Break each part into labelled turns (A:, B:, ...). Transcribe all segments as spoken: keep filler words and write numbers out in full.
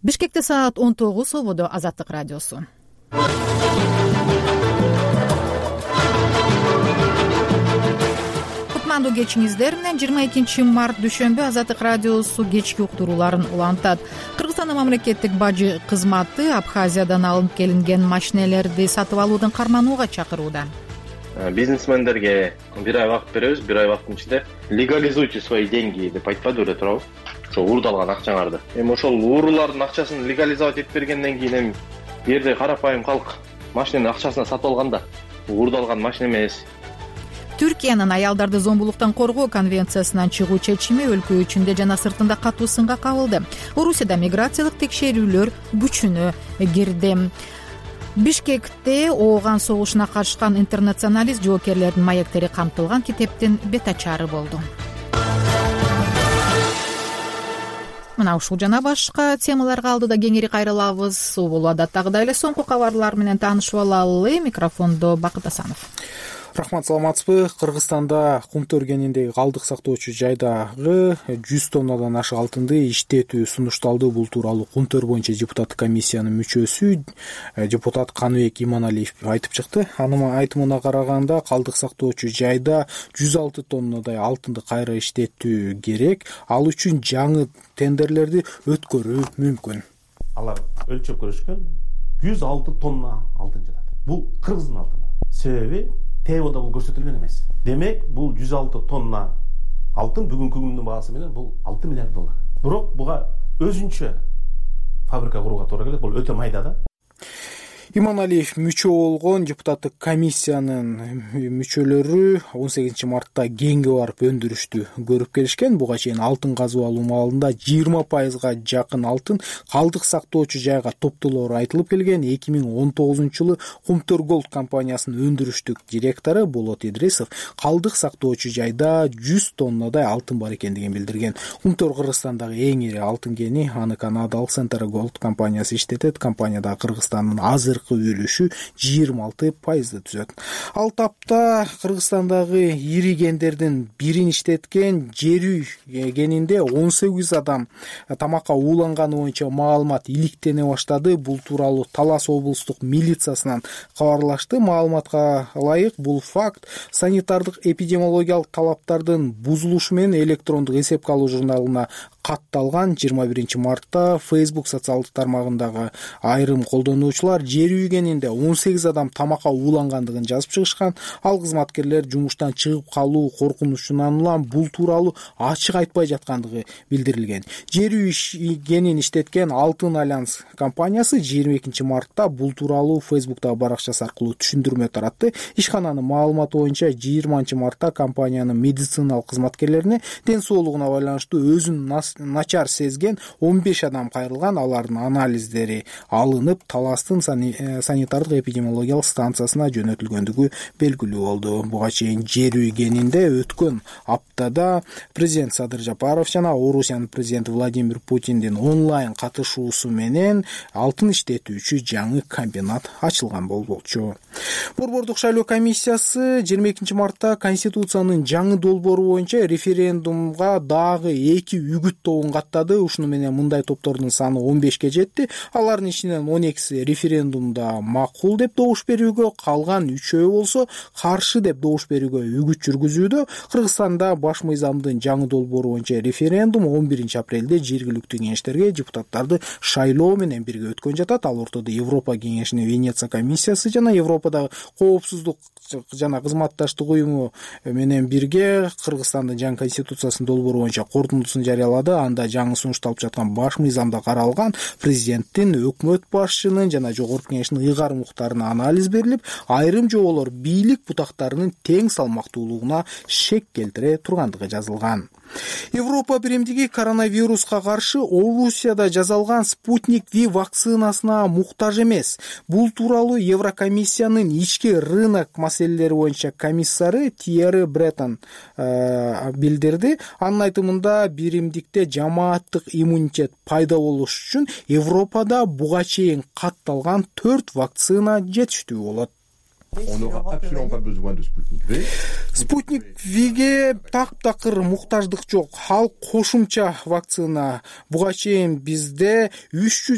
A: Бишкекте саат он тогуз, ободо Азаттык радиосу. Кутмандуу кечиңиздер менен жыйырма экинчи март дүйшөмбү Азаттык радиосу кечки уктурууларын улантат. Кыргызстандын мамлекеттик бажы кызматы Абхазиядан алынып келинген машинелерди сатып алуудан карманууга чакырууда.
B: Бизнесмендерге бир ай убакыт беребиз, бир ай убакыттын ичинде легализуйте свои деньги деп айтпады беле туурабы? Ошо уурдалган акчаңарды. Эми ошол уурулардын акчасын легализовать этип бергенден кийин эми бу жерде карапайым калк машиненин акчасына сатып алганда уурдалган машина эмес.
A: Түркиянын аялдарды зомбулуктан коргоо конвенциясынан чыгуу чечими өлкө ичинде жана сыртында катуу сынга кабылды. Орусияда миграциялык текшерүүлөр күчүнө кирди. Бишкекте ооган согушуна катышкан интернационалист жоокерлердин маектери камтылган китептин бет ачары болду. Мына ушул жана башка темаларга алдыда кеңири кайрылабыз. Бул адаттагыдай эле соңку кабарлар менен таанышып алалы. Микрофондо Бакыт Асанов.
C: Рахмат, саламатсызбы? Кыргызстанда кумту өргениндеги калдык сактоочу жайдагы жүз тоннадан ашык алтынды иштетүү сунушталды. Бул тууралуу кумтөр боюнча депутаттык комиссиянын мүчөсү депутат Каныбек Иманалиев айтып чыкты. Анын айтымына караганда калдык сактоочу жайда жүз алты тоннадай алтынды кайра иштетүү керек. Ал үчүн жаңы тендерлерди өткөрүү мүмкүн.
D: Алар өлчөп көрүшкөн жүз алты тонна алтын жатат. Бул Кыргыздын алтыны. Себеби Тевода бул көрсөтүлгөн эмес. Демек, бул жүз алты тонна алтын бүгүнкү күндүн баасы менен бул алты миллиард доллар. Бирок буга өзүнчө фабрика курууга туура келет. Бул өтө майда да.
C: Иманалиев мүчө болгон депутаттык комиссиянын мүчөлөрү он сегизинчи мартта Кеңге барып өндүрүштү көрүп келишкен. Буга чейин алтын казып алуу маалында жыйырма пайызга жакын алтын калдык сактоочу жайга топтолоору айтылып келген. эки миң он тогузунчу жылы Кумтөр Голд компаниясынын өндүрүштүк директору Болот Идрисов калдык сактоочу жайда жүз тоннадай алтын бар экендигин билдирген. Кумтөр Кыргызстандагы эң ири алтын кени, аны канадалык Центр Голд компаниясы иштетет. Компанияда Кыргызстандын азыр үлүшү жыйырма алты пайызды түзөт. Ал тапта Кыргызстандагы ири кендердин бирин иштеткен Жерүй кенинде он сегиз адам тамакка ууланганы боюнча маалымат иликтене баштады. Бул тууралуу Талас облустук милициясынан кабарлашты. Маалыматка ылайык, бул факт санитардык эпидемиологиялык талаптардын бузулушу менен электрондук эсепке алуу журналына катталган. жыйырма биринчи мартта Facebook социалдык тармагындагы айрым колдонуучулар Жерүй кенинде он сегиз адам тамакка уулангандыгын жазып чыгышкан. Ал кызматкерлер жумуштан чыгып калуу коркунучунан улам бул тууралуу ачык айтпай жаткандыгы билдирилген. Жерүй кенин иштеткен Алтын Альянс компаниясы жыйырма экинчи мартта бул тууралуу Facebook'тагы баракчасы аркылуу түшүндүрмө таратты. Ишкананын маалыматы боюнча жыйырманчы мартта компаниянын медициналык кызматкерлерине ден соолугуна байланыштуу өзүн начар сезген он беш адам кайрылган. Алардын анализдери алынып, Таластын санитардык эпидемиологиялык станциясына жөнөтүлгөндүгү белгилүү болду. Буга чейин Жерүй кенинде өткөн аптада президент Садыр Жапаров жана Орусиянын президенти Владимир Путиндин онлайн катышуусу менен алтын иштетүүчү жаңы комбинат ачылган болчу. Борбордук шайлоо комиссиясы жыйырма экинчи мартта Конституциянын жаңы долбоору боюнча референдумга дагы эки үгүт тобун каттады. Ушуну менен мындай топтордун саны он бешке жетти. Алардын ичинен он экиси референдумда макул деп добуш берүүгө, калган үчөө болсо каршы деп добуш берүүгө үгүт жүргүзүүдө. Кыргызстанда баш мыйзамдын жаңы долбоору боюнча референдум он биринчи апрелде жергиликтүү кеңештерге депутаттарды шайлоо менен бирге өткөн жатат. Ал ортодо Европа кеңешинин Венеция комиссиясы жана Европадагы коопсуздук жана кызматташтык уюму менен бирге Кыргызстандын жаңы конституциясынын долбоору боюнча корутундусун жарыялады. Анда жаңы сунушталып жаткан баш мыйзамда каралган президенттин, өкмөт башчынын жана жогорку кеңештин ыйгарым укуктарына анализ берилип, айрым жоболор бийлик бутактарынын тең салмактуулугуна шек келтире тургандыгы жазылган. Европа биримдиги коронавируска каршы Орусияда жасалган Спутник V вакцинасына муктаж эмес. Бул тууралуу Еврокомиссиянын ички рынок маселелери боюнча комиссары Тьерри Бреттон э, билдирди. Анын айтымында биримдикте жамааттык иммунитет пайда болуш үчүн Европада буга чейин катталган төрт вакцина жетиштүү болот. Спутник Виге таптакыр муктаждык жок. Ал кошумча вакцина. Буга чейин бизде үч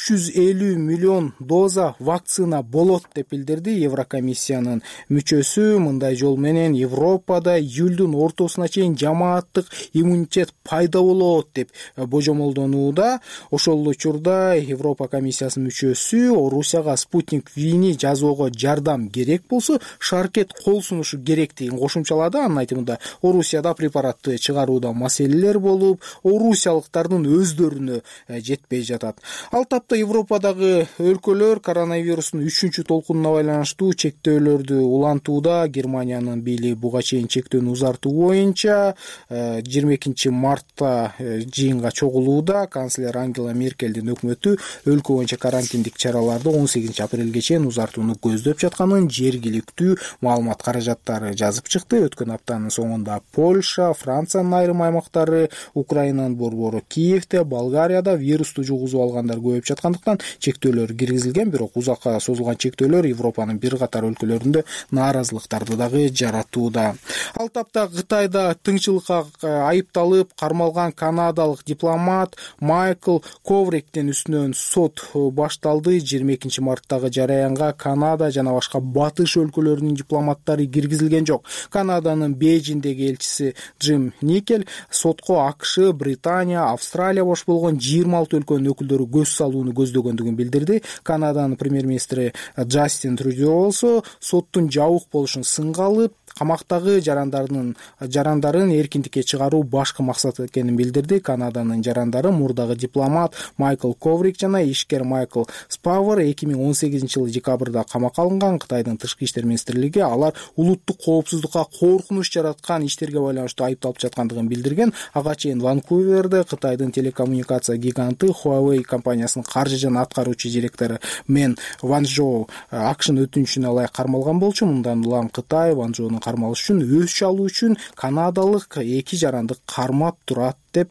C: жүз элүү миллион доза вакцина болот деп билдирди Еврокомиссиянын мүчөсү. Мындай жол менен Европада июлдун ортосуна чейин жамааттык иммунитет пайда болот деп божомолдонууда. Ошол учурда Европа комиссиясынын мүчөсү Орусияга Спутник Вини жасоого жардам керек болсо шаркет кол сунушу керектигин кошумчалады. Анын айтымында Орусияда препаратты чыгарууда маселелер болуп, орусиялыктардын өздөрүнө жетпей жатат. Ал тапта Европадагы өлкөлөр коронавирустун үчүнчү толкунуна байланыштуу чектөөлөрдү улантууда. Германиянын бийлиги буга чейин чектөөнү узартуу боюнча жыйырма экинчи мартта жыйынга чогулууда. Канцлер Ангела Меркелдин өкмөтү өлкө боюнча карантиндик чараларды он сегизинчи апрелге чейин узартууну көздөп жатканын жергиликтүү маалымат каражаттары жазып чыкты. Өткөн аптанын соңунда Польша, Франциянын айрым аймактары, Украинанын борбору Киевде, Болгарияда вирусту жугузуп алгандар көбөйүп жаткандыктан чектөөлөр киргизилген. Бирок узакка созулган чектөөлөр Европанын бир катар өлкөлөрүндө нааразылыктарды дагы жаратууда. Ал тапта Кытайда тыңчылыкка айыпталып кармалган канадалык дипломат Майкл Ковриктин үстүнөн сот башталды. жыйырма экинчи марттагы жараянга Канада жана башка батыш өлкөлөрүнүн дипломаттары киргизилген жок. Канаданын Бейжиңдеги элчиси Джим Никель сотко АКШ, Британия, Австралия бош болгон жыйырма алты өлкөнүн өкүлдөрү көз салууну көздөгөндүгүн билдирди. Канаданын премьер-министри Джастин Трюдо болсо соттун жабык болушун сынга алып, камактагы жарандардын жарандарын эркиндикке чыгаруу башкы максат экенин билдирди. Канаданын жарандары мурдагы дипломат Майкл Коврик жана ишкер Майкл Спавер эки миң он сегизинчи жылы декабрда камакка алынган. Кытайдын тышкы иштер министрлиги алар улуттук коопсуздукка коркунуч жараткан иштерге байланыштуу айыпталып жаткандыгын билдирген. Ага чейин Ванкуверде Кытайдын телекоммуникация гиганты Huawei компаниясынын каржы жана аткаруучу директору Мен Ванжоу АКШнын өтүнүчүнө ылайык кармалган болчу. Мындан улам Кытай Ванжоунун кармалышы үчүн өз чалуу үчүн канадалык эки жаранды кармап турат деп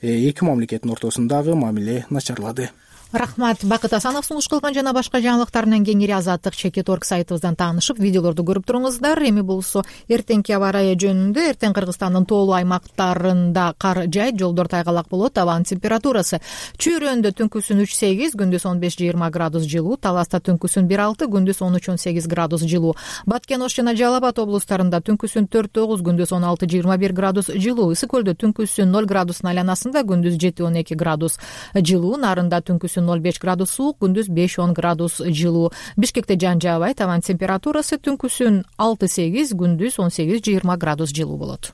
C: эки мамлекеттин ортосундагы мамиле начарлады.
A: Рахмат. Бакыт Асанов сунуш кылган жана башка жаңылыктарынан кеңири Азаттык чекит точка орг сайтыбыздан таанышып, видеолорду көрүп туруңуздар. Эми болсо эртеңки аба ырайы жөнүндө эртең Кыргызстандын тоолуу аймактарында кар жайт, жолдор тайгалак болот. Абанын температурасы Чүйрөндө түнкүсүн үч сегиз, күндүз он беш жыйырма градус жылуу, Таласта түнкүсүн бир алты, күндүз он үч он сегиз градус жылуу, Баткен Ош жана Жалал Абад облустарында түнкүсүн төрт тогуз, күндүз он алты жыйырма бир градус жылуу, Ысык Көлдө түнкүсүн ноль градустун айланасында, күндүз жети он эки градус жылуу, Нарында түнкүсүн ноль беш градус суук, күндүз беш он градус жылуу. Бишкекте жан жаабайт, табан температурасы түнкүсүн алты сегиз, күндүз он сегиз жыйырма градус жылуу болот.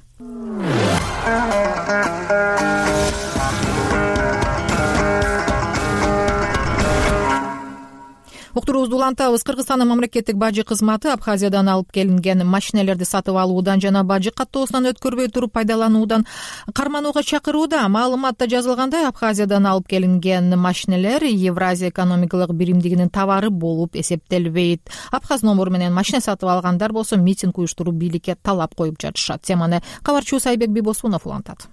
A: Уктуруубузду улантабыз. Кыргызстандын мамлекеттик бажы кызматы Абхазиядан алып келинген машинелерди сатып алуудан жана бажы каттоосунан өткөрбөй туруп пайдалануудан карманууга чакырууда. Маалыматта жазылгандай, Абхазиядан алып келинген машинелер Евразия экономикалык биримдигинин товары болуп эсептелбейт. Абхаз номуру менен машина сатып алгандар болсо митинг уюштуруп бийликке талап коюп жатышат. Теманы кабарчыбыз Айбек Бибосунов улантат.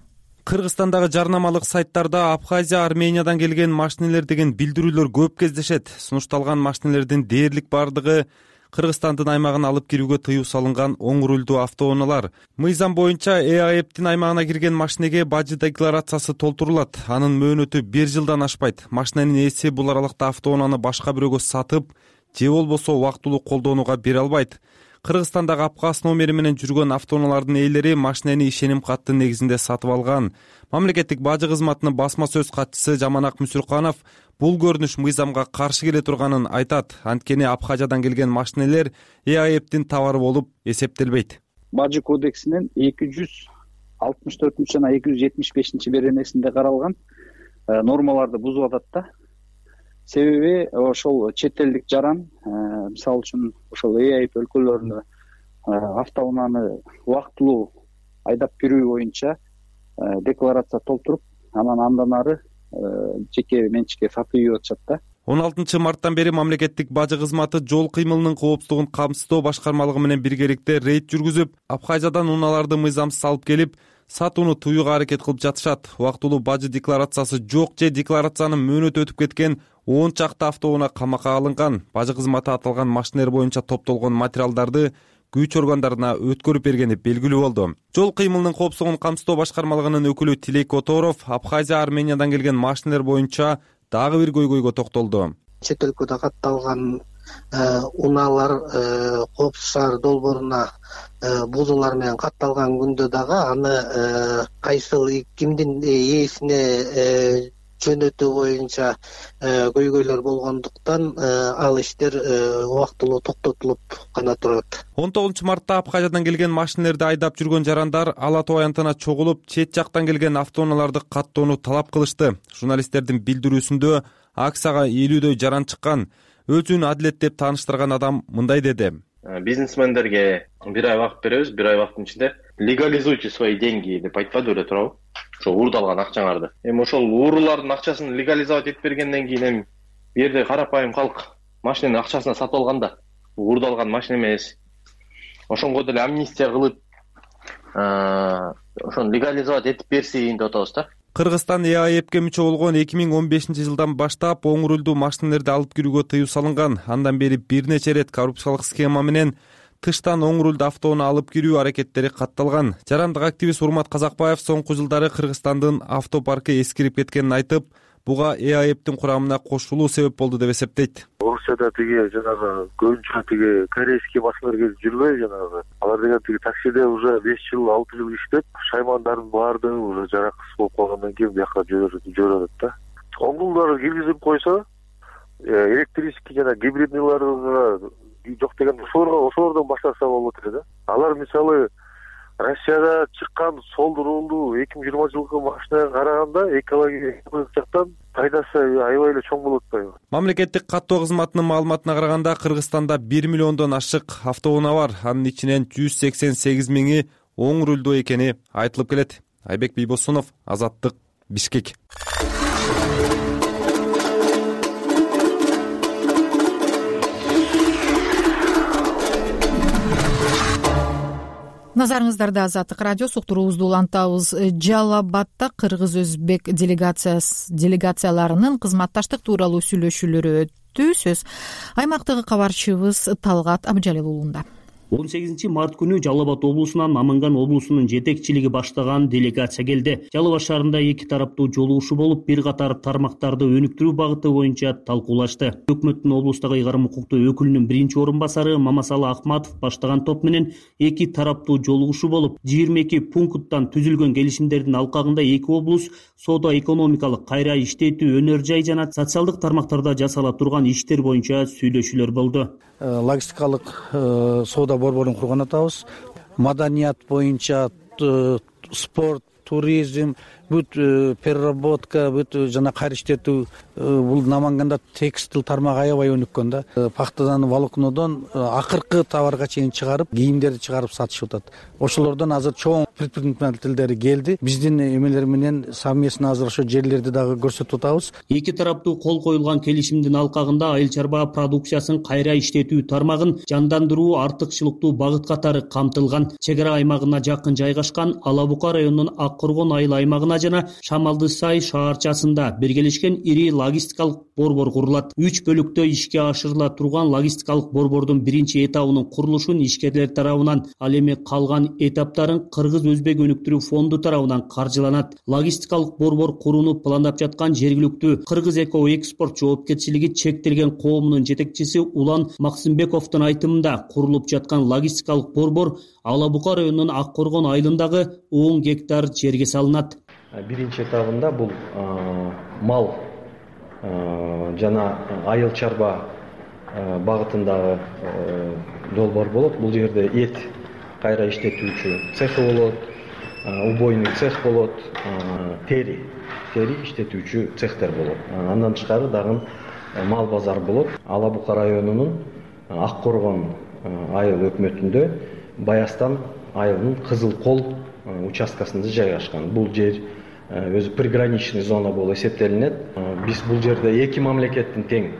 E: Кыргызстандагы жарнамалык сайттарда Абхазия, Армениyaдан келген машинелер деген билдирүүлөр көп кездешет. Сунушталган машинелердин дээрлик бардыгы Кыргызстандын аймагына алып кирүүгө тыюу салынган оң рулдуу автоунаалар. Мыйзам боюнча ЭАЭПтин аймагына кирген машинеге бажы декларациясы толтурулат. Анын мөөнөтү бир жылдан ашпайт. Машиненин ээси бул аралыкта автоунааны башка бирөөгө сатып же болбосо убактылуу колдонууга бере албайт. Кыргызстандагы Абхаз номери менен жүргөн автоунаалардын ээлери машинени ишеним каты негизинде сатып алган. Мамлекеттик бажы кызматынын басма сөз катчысы Жаманак Мүсүрканов бул көрүнүш мыйзамга каршы келе турганын айтат. Анткени Абхазиядан келген машинелер ЭАЭПтин товары болуп эсептелбейт.
F: Бажы кодексинин эки жүз алтымыш төртүнчү жана эки жүз жетимиш бешинчи беренесинде каралган нормаларды бузуп атат да. Себеби ошол чет элдик жаран, мисалы үчүн ошол ЭАЭП өлкөлөрүнө автоунааны убактылуу айдап кирүү боюнча декларация толтуруп, анан андан ары жеке менчикке сатып ийип атышат да.
E: он алтынчы марттан бери мамлекеттик бажы кызматы жол кыймылынын коопсуздугун камсыздоо башкармалыгы менен биргеликте рейд жүргүзүп, Абхазиядан унааларды мыйзамсыз алып келип сатууну тыюуга аракет кылып жатышат. Убактылуу бажы декларациясы жок же декларациянын мөөнөтү өтүп кеткен он чакты автоунаа камакка алынган. Бажы кызматы аталган машинелер боюнча топтолгон материалдарды күч органдарына өткөрүп бергени белгилүү болду. Жол кыймылынын коопсуздугун камсыздоо башкармалыгынын өкүлү Тилек Которов Абхазия, Армениyaдан келген машинелер боюнча дагы бир көйгөйгө токтолду.
G: Чет өлкөдө катталган унаалар коопсуз шаар долбооруна бузуулар менен катталган күндө дагы аны кайсыл кимдин ээсине жөнөтүү боюнча көйгөйлөр болгондуктан ал иштер убактылуу токтотулуп гана турат.
E: он тогузунчу мартта Абхазиядан келген машинелерди айдап жүргөн жарандар Ала Тоо аянтына чогулуп, чет жактан келген автоунааларды каттоону талап кылышты. Журналисттердин билдирүүсүндө акцияга элүүдөй жаран чыккан. Өзүн адилет деп тааныштырган адам мындай деди.
B: Бизнесмендерге бир ай убакыт беребиз, бир ай убакыттын ичинде легализуйте свои деньги деп айтпады эле туурабы? Ошо уурдалган акчаңарды. Эми ошол уурулардын акчасын легализовать этип бергенден кийин эми бу жерде карапайым калк машиненин акчасына сатып алган да. Уурдалган машина эмес. Ошонго деле амнистия кылып, ошону легализовать этип берсин деп атабыз да.
E: Кыргызстан Э А Э П'ке мүчө болгон эки миң он бешинчи жылдан баштап оң рулдуу машинелерди алып кирүүгө тыюу салынган. Андан бери бир нече ирет коррупциялык схема менен тыштан оң рулду автоунаа алып кирүү аракеттери катталган. Жарандык активист Урмат Казакбаев соңку жылдары Кыргызстандын автопаркы эскирип кеткенин айтып, буга Э А Э П'тин курамына кошулуу себеп болду деп эсептейт.
H: Орусияда тиги жанагы көбүнчө тиги корейский машиналар келип жүрбөй жанагы. Алар деген тиги таксиде уже беш жыл, алты жыл иштеп, шаймандардын баардыгы уже жараксыз болуп калгандан кийин бияка жиберет да. Оңдулдары киргизип койсо, электрический жана гибридныйларга жок деген ошолордон баштаса болот эле да. Алар мисалы Россияда чыккан сол рулдуу эки миң жыйырма жылкы машинага караганда экологиялык жактан пайдасы аябай эле чоң болуп атпайбы?
E: Мамлекеттик каттоо кызматынын маалыматына караганда Кыргызстанда бир миллиондон ашык автоунаа бар. Анын ичинен жүз сексен сегиз миңи оң рулдуу экени айтылып келет. Айбек Бийбосунов, Азаттык, Бишкек.
A: Назарыңыздарда Азаттык радиосу уктуруубузду улантабыз. Жалал Абадта кыргыз-өзбек делегацияларынын кызматташтык тууралуу сүйлөшүүлөрү өттү. Сөз аймактагы кабарчыбыз Талгат Абжалил уулунда.
I: он сегизинчи март күнү Жалал Абад облусунан Наманган облусунун жетекчилиги баштаган делегация келди. Жалал Абад шаарында эки тараптуу жолугушуу болуп, бир катар тармактарды өнүктүрүү багыты боюнча талкуулашты. Өкмөттүн облустагы ыйгарым укуктуу өкүлүнүн биринчи орун басары Мамасалы Акматов баштаган топ менен эки тараптуу жолугушуу болуп, жыйырма эки пункттан түзүлгөн келишимдердин алкагында эки облус соода-экономикалык, кайра иштетүү, өнөр жай жана социалдык тармактарда жасала турган иштер боюнча сүйлөшүүлөр болду.
J: Логистикалык соода борборун курган атабыз. Маданият боюнча спорт, туризм, бүт переработка, бүт жана кайра иштетүү, бул Наманганда текстил тармагы аябай өнүккөн да. Пахтадан, волокнодон акыркы товарга чейин чыгарып, кийимдерди чыгарып сатышып атат. Ошолордон азыр чоң предпринимательдери келди. Биздин эмелер менен совместно азыр ошо жерлерди дагы көрсөтүп атабыз.
I: Эки тараптуу кол коюлган келишимдин алкагында айыл чарба продукциясын кайра иштетүү тармагын жандандыруу артыкчылыктуу багыт катары камтылган. Чек ара аймагына жакын жайгашкан Ала Бука районунун Ак Коргон айыл аймагына жана Шамалды Сай шаарчасында биргелешкен ири логистикалык борбор курулат. Үч бөлүктө ишке ашырыла турган логистикалык борбордун биринчи этабынын курулушун ишкерлер тарабынан, ал эми калган этаптарын Кыргыз-Өзбек өнүктүрүү фонду тарабынан каржыланат. Логистикалык борбор курууну пландап жаткан жергиликтүү Кыргыз Эко Экспорт жоопкерчилиги чектелген коомунун жетекчиси Улан Максымбековдун айтымында, курулуп жаткан логистикалык борбор Ала Бука районунун Ак Коргон айылындагы он гектар жерге салынат.
K: Биринчи этабында бул мал жана айыл чарба багытындагы долбоор болот. Бул жерде эт кайра иштетүүчү цехи болот, убойный цех болот, тери тери иштетүүчү цехтер болот. Андан тышкары дагы мал базар болот. Ала Бука районунун Ак Коргон айыл өкмөтүндө Баястан айылынын Кызыл Кол участкасында жайгашкан. Бул жер өзү приграничный зона болуп эсептелинет. Биз бул жерде эки мамлекеттин тең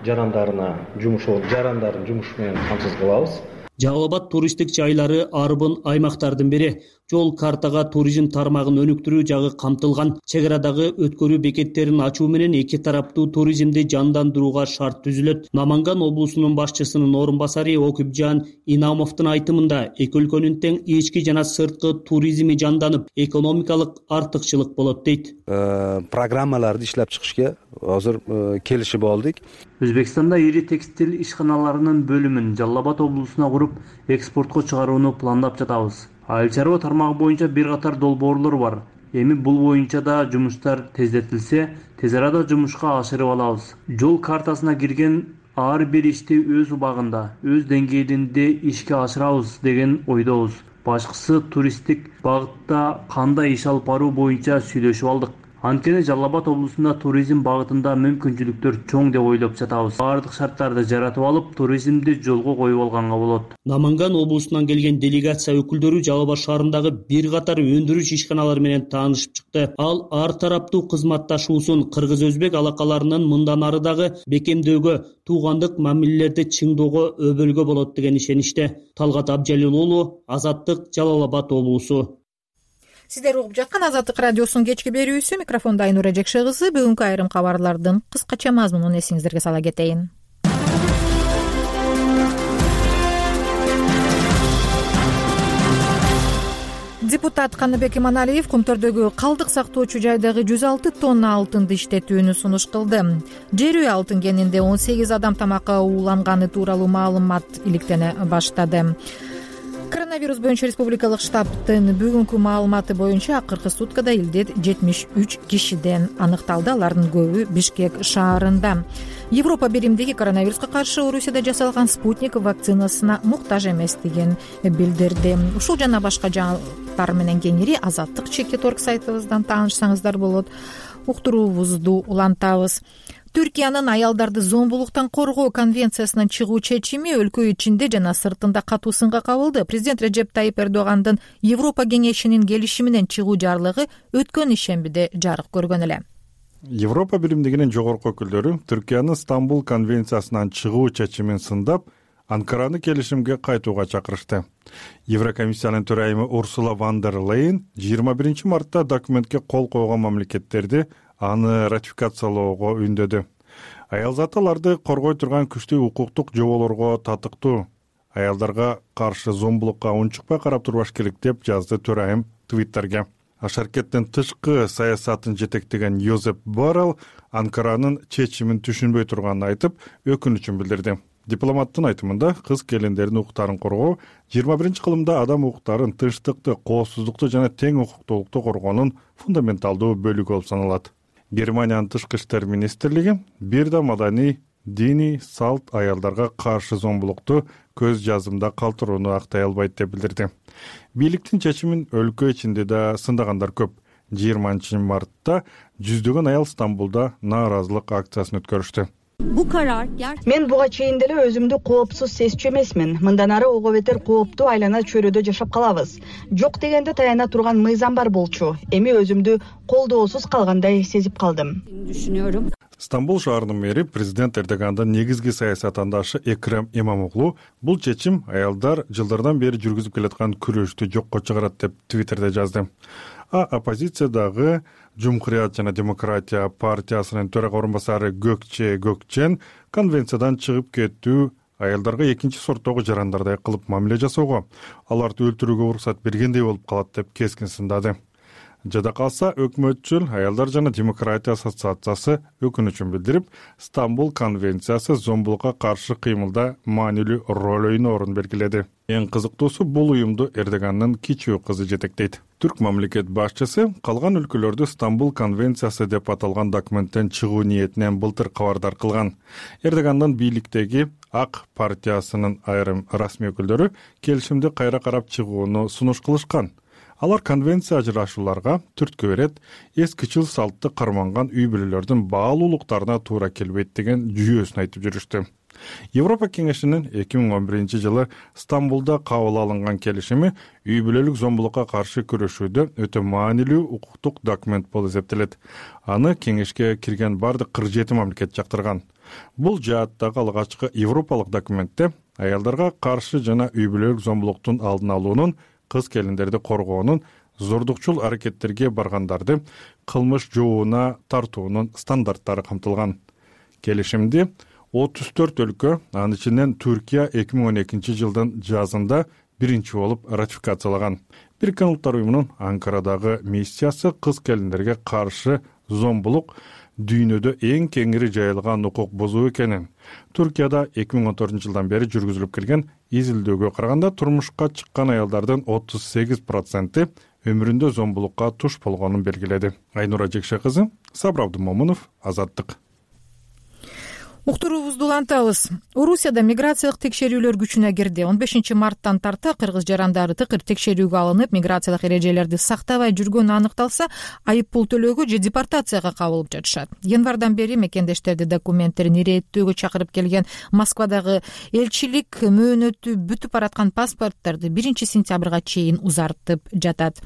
K: жарандарына жумуш жарандарын жумуш менен камсыз кылабыз.
I: Жалал Абад туристтик жайлары арбын аймактардын бири. жол картага туризм тармагын өнүктүрүү жагы камтылган. Чек арадагы өткөрүү бекеттерин ачуу менен эки тараптуу туризмди жандандырууга шарт түзүлөт. Наманган облусунун башчысынын орун басары Окупжан Инамовдун айтымында эки өлкөнүн тең ички жана сырткы туризми жанданып, экономикалык артыкчылык болот дейт.
L: Программаларды иштеп чыгышка азыр келишип алдык.
I: Өзбекстанда ири текстил ишканаларынын бөлүмүн Жалал Абад облусуна куруп, экспортко чыгарууну пландап жатабыз. Айыл чарба тармагы боюнча бир катар долбоорлор бар. Эми бул боюнча да жумуштар тездетилсе, тез арада жумушка ашырып алабыз. Жол картасына кирген ар бир ишти өз убагында, өз деңгээлинде ишке ашырабыз деген ойдобуз. Башкысы туристтик багытта кандай иш алып баруу боюнча сүйлөшүп алдык. Анткени Жалал Абад облусунда туризм багытында мүмкүнчүлүктөр чоң деп ойлоп жатабыз. Бардык шарттарды жаратып алып, туризмди жолго коюп алганга болот. Наманган облусунан келген делегация өкүлдөрү Жалал Абад шаарындагы бир катар өндүрүш ишканалары менен таанышып чыкты. Ал ар тараптуу кызматташуусун кыргыз-өзбек алакаларынын мындан ары дагы бекемдөөгө, туугандык мамилелерди чыңдоого өбөлгө болот деген ишениште. Талгат Абжалил уулу, Азаттык, Жалал Абад облусу.
A: Сиздер угуп жаткан Азаттык радиосунун кечки берүүсү. Микрофондо Айнура Жекше кызы. Бүгүнкү айрым кабарлардын кыскача мазмунун эсиңиздерге сала кетейин. Депутат Каныбек Иманалиев Кумтөрдөгү калдык сактоочу жайдагы жүз алты тонна алтынды иштетүүнү сунуш кылды. Жер үй алтын кенинде он сегиз адам тамакка ууланганы тууралуу маалымат иликтене баштады. Коронавирус боюнча республикалык штабтын бүгүнкү маалыматы боюнча акыркы суткада илдет жетимиш үч кишиден аныкталды. Алардын көбү Бишкек шаарында. Европа биримдиги коронавируска каршы Орусияда жасалган спутник вакцинасына муктаж эместигин билдирди. Ушул жана башка жаңылыктар менен кеңири Азаттык чекит точка орг сайтыбыздан таанышсаңыздар болот. Уктуруубузду улантабыз. Түркиянын аялдарды зомбулуктан коргоо конвенциясынан чыгуу чечими өлкө ичинде жана сыртында катуу сынга кабылды. Президент Реджеп Тайип Эрдогандын Европа кеңешинин келишими менен чыгуу жарлыгы өткөн ишембиде жарык көргөн эле.
M: Европа биримдигинин жогорку өкүлдөрү Түркиянын Стамбул конвенциясынан чыгуу чечимин сындап, Анкараны келишимге кайтууга чакырышты. Еврокомиссиянын төрайымы Урсула ван дер Лейн жыйырма биринчи мартта документке кол койгон мамлекеттерди аны ратификациялоого үндөдү. Аялзаталарды коргой турган күчтүү укуктук жоболорго татыктуу. Аялдарга каршы зомбулукка унчукпай карап турбаш керек деп жазды төрайым Твиттерге. Шаркеттин тышкы саясатын жетектеген Йозеп Боррелл Анкаранын чечимин түшүнбөй турганын айтып, өкүнүчүн билдирди. Дипломаттын айтымында кыз келиндердин укуктарын коргоо жыйырма биринчи кылымда адам укуктарын тынчтыкты, коопсуздукту жана тең укуктуулукту коргоонун фундаменталдуу бөлүгү болуп саналат. Германиянын тышкы иштер министрлиги бир да маданий, диний салт аялдарга каршы зомбулукту көз жазымда калтырууну актай албайт деп билдирди. Бийликтин чечимин өлкө ичинде да сындагандар көп. жыйырманчы мартта жүздөгөн аял Стамбулда нааразылык акциясын өткөрүштү.
N: Мен буга чейин деле өзүмдү коопсуз сезчү эмесмин. Мындан ары ого бетер кооптуу айлана чөйрөдө жашап калабыз. Жок дегенде таяна турган мыйзам бар болчу. Эми өзүмдү колдоосуз калгандай сезип калдым.
M: Стамбул шаарынын мэри президент Эрдогандын негизги саясат андашы Экрем Имамоглу бул чечим аялдар жылдардан бери жүргүзүп келаткан күрөштү жокко чыгарат деп Твиттерде жазды. А оппозициядагы Жумхурият жана демократия партиясынын төрага орун басары Gökçe Gökçen конвенциядан чыгып кетүү аялдарга экинчи сорттогу жарандардай кылып мамиле жасоого, аларды өлтүрүүгө уруксат бергендей болуп калат деп кескин сындады. Жада калса өкмөтчүл аялдар жана демократия ассоциациясы өкүнүчүн билдирип, Стамбул конвенциясы зомбулукка каршы кыймылда маанилүү роль ойноорун белгиледи. Эң кызыктуусу бул уюмду Эрдогандын кичүү кызы жетектейт. Түрк мамлекет башчысы калган өлкөлөрдү Стамбул конвенциясы деп аталган документтен чыгуу ниетинен былтыр кабардар кылган. Эрдогандын бийликтеги Ак партиясынын айрым расмий өкүлдөрү келишимди кайра карап чыгууну сунуш кылышкан. Алар конвенция ажырашууларга түрткү берет, эскичил салтты карманган үй бүлөлөрдүн баалуулуктарына туура келбейт деген жүйөсүн айтып жүрүштү. Европа кеңешинин эки миң он биринчи жылы Стамбулда кабыл алынган келишими үй бүлөлүк зомбулукка каршы күрөшүүдө өтө маанилүү укуктук документ болуп эсептелет. Аны кеңешке кирген бардык кырк жети мамлекет жактырган. Бул жааттагы алгачкы европалык документте аялдарга каршы жана үй бүлөлүк зомбулуктун алдын алуунун кыз келиндерди коргоонун, зордукчул аракеттерге баргандарды кылмыш жообуна тартуунун стандарттары камтылган. Келишимди отуз төрт өлкө, анын ичинен Түркия эки миң он экинчи жылдын жазында биринчи болуп ратификациялаган. Бириккен Улуттар уюмунун Анкарадагы миссиясы кыз келиндерге каршы зомбулук дүйнөдө эң кеңири жайылган укук бузуу экенин, Түркияда эки миң он төртүнчү жылдан бери жүргүзүлүп келген изилдөөгө караганда турмушка чыккан аялдардын отуз сегиз проценти өмүрүндө зомбулукка туш болгонун белгиледи. Айнура Жекше кызы, Сабыр Абдымомунов, Азаттык.
A: Уктуруубузду улантабыз. Орусияда миграциялык текшерүүлөр күчүнө кирди. он бешинчи марттан тарта кыргыз жарандары тыкыр текшерүүгө алынып, миграциялык эрежелерди сактабай жүргөнү аныкталса, айып пул төлөөгө же депортацияга кабылып жатышат. Январдан бери мекендештерди документтерин иреттөөгө чакырып келген Москвадагы элчилик мөөнөтү бүтүп бараткан паспорттарды биринчи сентябрга чейин узартып жатат.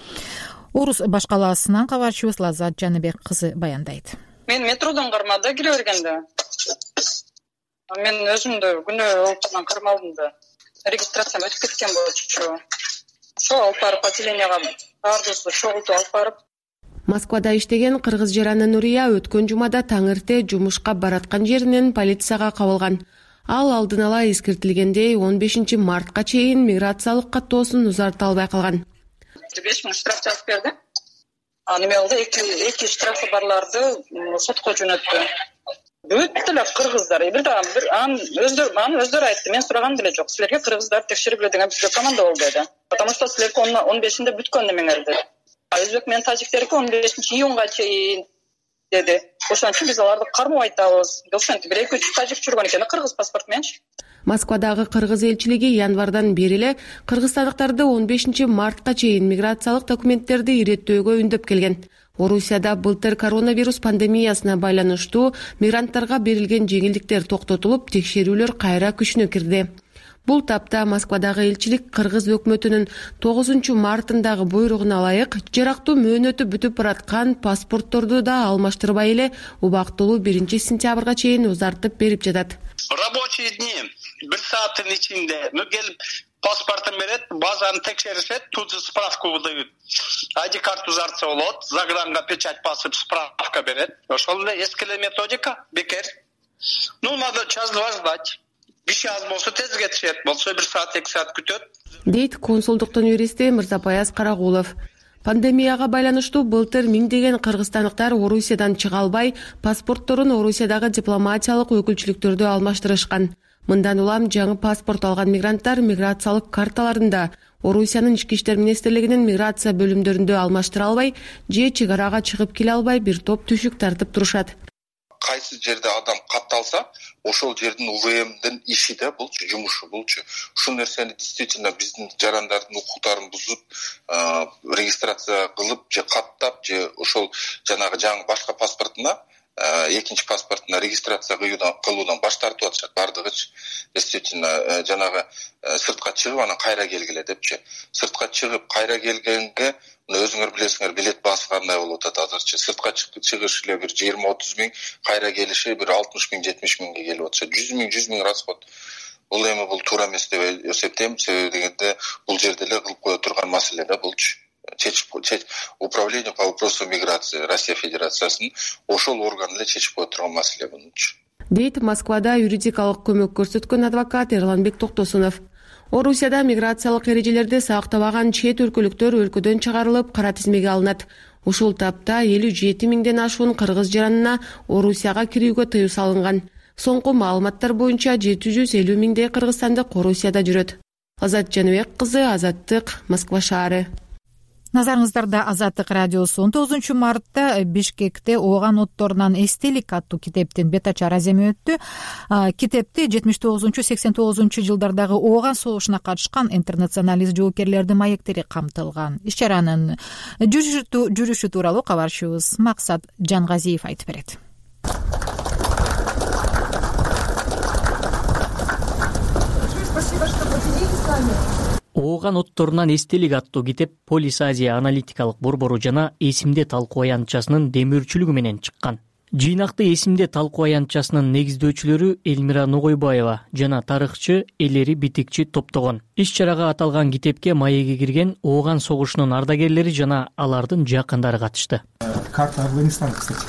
A: Орус баш калаасынан кабарчыбыз Лаззат Жаныбек кызы баяндайт.
O: Мен метродон кармада кире бергенде мен өзүмдү күнөө олтурдан кармалдым да. Регистрациям өтүп кеткен болчу. Ошо алып барып отделенияга баардыгыбызды чогултуп алып барып.
P: Москвада иштеген кыргыз жараны Нурия өткөн жумада таң эрте жумушка бараткан жеринен полицияга кабылган. Ал алдын ала эскертилгендей он бешинчи мартка чейин миграциялык каттоосун узарта албай калган.
O: беш миң штраф жазып берди. Аны эме болду, эки штрафы барларды сотко жөнөттү. Бүт эле кыргыздар, бир да бир ан өздөрү аны өздөрү айтты. Мен сураган деле жок. Силерге кыргыздар текшерип деген бизге команда болду деди. Потому что силерге он бешинде бүткөн немеңер деди. А өзбек менен тажиктерге он бешинчи июнга чейин деди. Ошон үчүн биз аларды кармап айтабыз. Ошентип бир эки үч тажик жүргөн экен, кыргыз паспорт мененчи.
P: Москвадагы кыргыз элчилиги январдан бери эле кыргызстандыктарды он бешинчи мартка чейин миграциялык документтерди иреттөөгө үндөп келген. Орусияда былтыр коронавирус пандемиясына байланыштуу мигранттарга берилген жеңилдиктер токтотулуп, текшерүүлөр кайра күчүнө кирди. Бул тапта Москвадагы элчилик кыргыз өкмөтүнүн тогузунчу мартындагы буйругуна ылайык жарактуу мөөнөтү бүтүп бараткан паспортторду да алмаштырбай эле убактылуу биринчи сентябрга чейин узартып берип жатат.
Q: Рабочие дни бир сааттын ичинде ну келип паспортун берет, базаны текшеришет, тут же справку выдают. ай ди карту узартса болот, загранга печать басып справка берет. Ошол эле эски эле методика, бекер. Ну надо час-два ждать. Беш аз болсо тез кетишет, болсо бир саат, эки саат күтөт.
P: Дейт консулдуктун юристи Мырзапаяз Карагулов. Пандемияга байланыштуу былтыр миңдеген кыргызстандыктар Орусиядан чыга албай, паспортторун Орусиядагы дипломатиялык өкүлчүлүктөрдө алмаштырышкан. Мындан улам жаңы паспорт алган мигранттар миграциялык карталарында Орусиянын ички иштер министрлигинин миграция бөлүмдөрүндө алмаштыра албай, же чек арага чыгып келе албай бир топ түшүк тартып турушат.
R: Кайсы жерде адам катталса, ошол жердин У В Мдин иши да булчу, жумушу булчу. Ушул нерсени действительно биздин жарандардын укуктарын бузуп, регистрация кылып же каттап же ошол жанагы жаңы башка паспортуна экинчи паспортуна регистрация кылуудан баш тартып атышат. Бардыгычы действительно жанагы сыртка чыгып анан кайра келгиле депчи. Сыртка чыгып кайра келгенге өзүңөр билесиңер, билет баасы кандай болуп атат азырчы. Сыртка чыгыш эле бир жыйырма отуз миң, кайра келиши бир алтымыш миң, жетимиш миңге келип атат. жүз миң, жүз миң расход. Бул эми бул туура эмес деп эсептейм, себеби дегенде бул жерде эле кылып кое турган маселе да булчу. Чечип управление по вопросу миграции Россия Федерациясынын ошол орган эле чечип кое турган маселе бунчу.
P: Дейт Москвада юридикалык көмөк көрсөткөн адвокат Эрланбек Токтосунов. Орусияда миграциялык эрежелерди сактабаган чет өлкөлүктөр өлкөдөн чыгарылып, кара тизмеге алынат. Ушул тапта элүү жети миңден ашуун кыргыз жаранына Орусияга кирүүгө тыюу салынган. Соңку маалыматтар боюнча жети жүз элүү миңдей кыргызстандык Орусияда жүрөт. Лаззат Жаныбек кызы, Азаттык, Москва шаары.
A: Назарыңыздарда Азаттык радиосу. он тогузунчу мартта Бишкекте ооган отторунан эстелик аттуу китептин бет ачар аземи өттү. Китепте жетимиш тогузунчу сексен тогузунчу жылдардагы ооган согушуна катышкан интернационалист жоокерлердин маектери камтылган. Иш-чаранын жүрүшү тууралуу кабарчыбыз Максат Жангазиев айтып берет.
S: Спасибо, что поделились с нами.
I: Ооган отторунан эстелик аттуу китеп Полис Азия аналитикалык борбору жана эсимде талкуу аянтчасынын демөөрчүлүгү менен чыккан. Жыйнакты эсимде талкуу аянтчасынын негиздөөчүлөрү Элмира Ногойбаева жана тарыхчы Элери Битикчи топтогон. Иш чарага аталган китепке маегге кирген Ооган согушунун ардагерлери жана алардын жакындары катышты.
C: Карта Афганистана, кстати.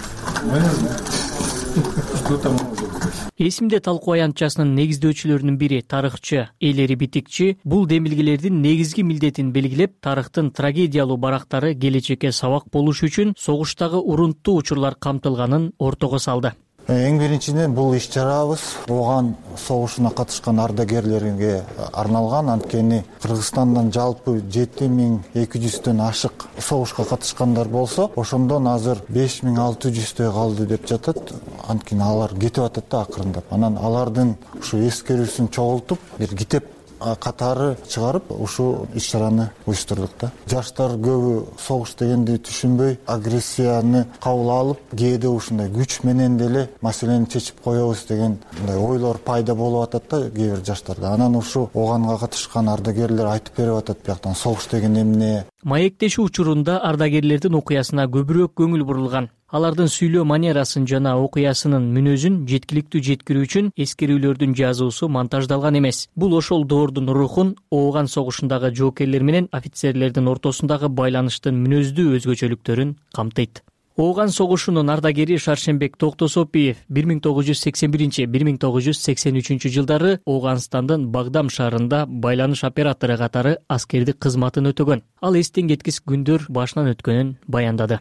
I: Эсимде талкуу аянтчасынын негиздөөчүлөрүнүн бири тарыхчы Элери Битикчи бул демилгелердин негизги милдетин белгилеп, тарыхтын трагедиялуу барактары келечекке сабак болуш үчүн согуштагы урунттуу учурлар камтылганын ортого салды.
T: Эң биринчиден бул иш чарабыз Ооган согушуна катышкан ардагерлерге арналган. Анткени Кыргызстандан жалпы жети миң эки жүздөн ашык согушка катышкандар болсо, ошондон азыр беш миң алты жүздөй калды деп жатат. Анткени алар кетип атат да акырындап. Анан алардын ушу эскерүүсүн чогултуп, бир китеп катары чыгарып, ушул иш чараны уюштурдук да. Жаштар көбү согуш дегенди түшүнбөй, агрессияны кабыл алып, кээде ушундай күч менен деле маселени чечип коебуз деген мындай ойлор пайда болуп атат да кээ бир жаштарда. Анан ушу Ооганга катышкан ардагерлер айтып берип атат бияктан согуш деген эмне.
I: Маектешүү учурунда ардагерлердин окуясына көбүрөөк көңүл бурулган. Алардын сүйлөө манерасын жана окуясынын мүнөзүн жеткиликтүү жеткирүү үчүн эскерүүлөрдүн жазуусу монтаждалган эмес. Бул ошол доордун рухун, Ооган согушундагы жоокерлер менен офицерлердин ортосундагы байланыштын мүнөздүү өзгөчөлүктөрүн камтыйт. Ооган согушунун ардагери Шаршембек Токтосопиев бир миң тогуз жүз сексен биринчи — бир миң тогуз жүз сексен үчүнчү жылдары Ооганстандын Багдам шаарында байланыш оператору катары аскердик кызматын өтөгөн. Ал эстен кеткис күндөр башынан өткөнүн баяндады.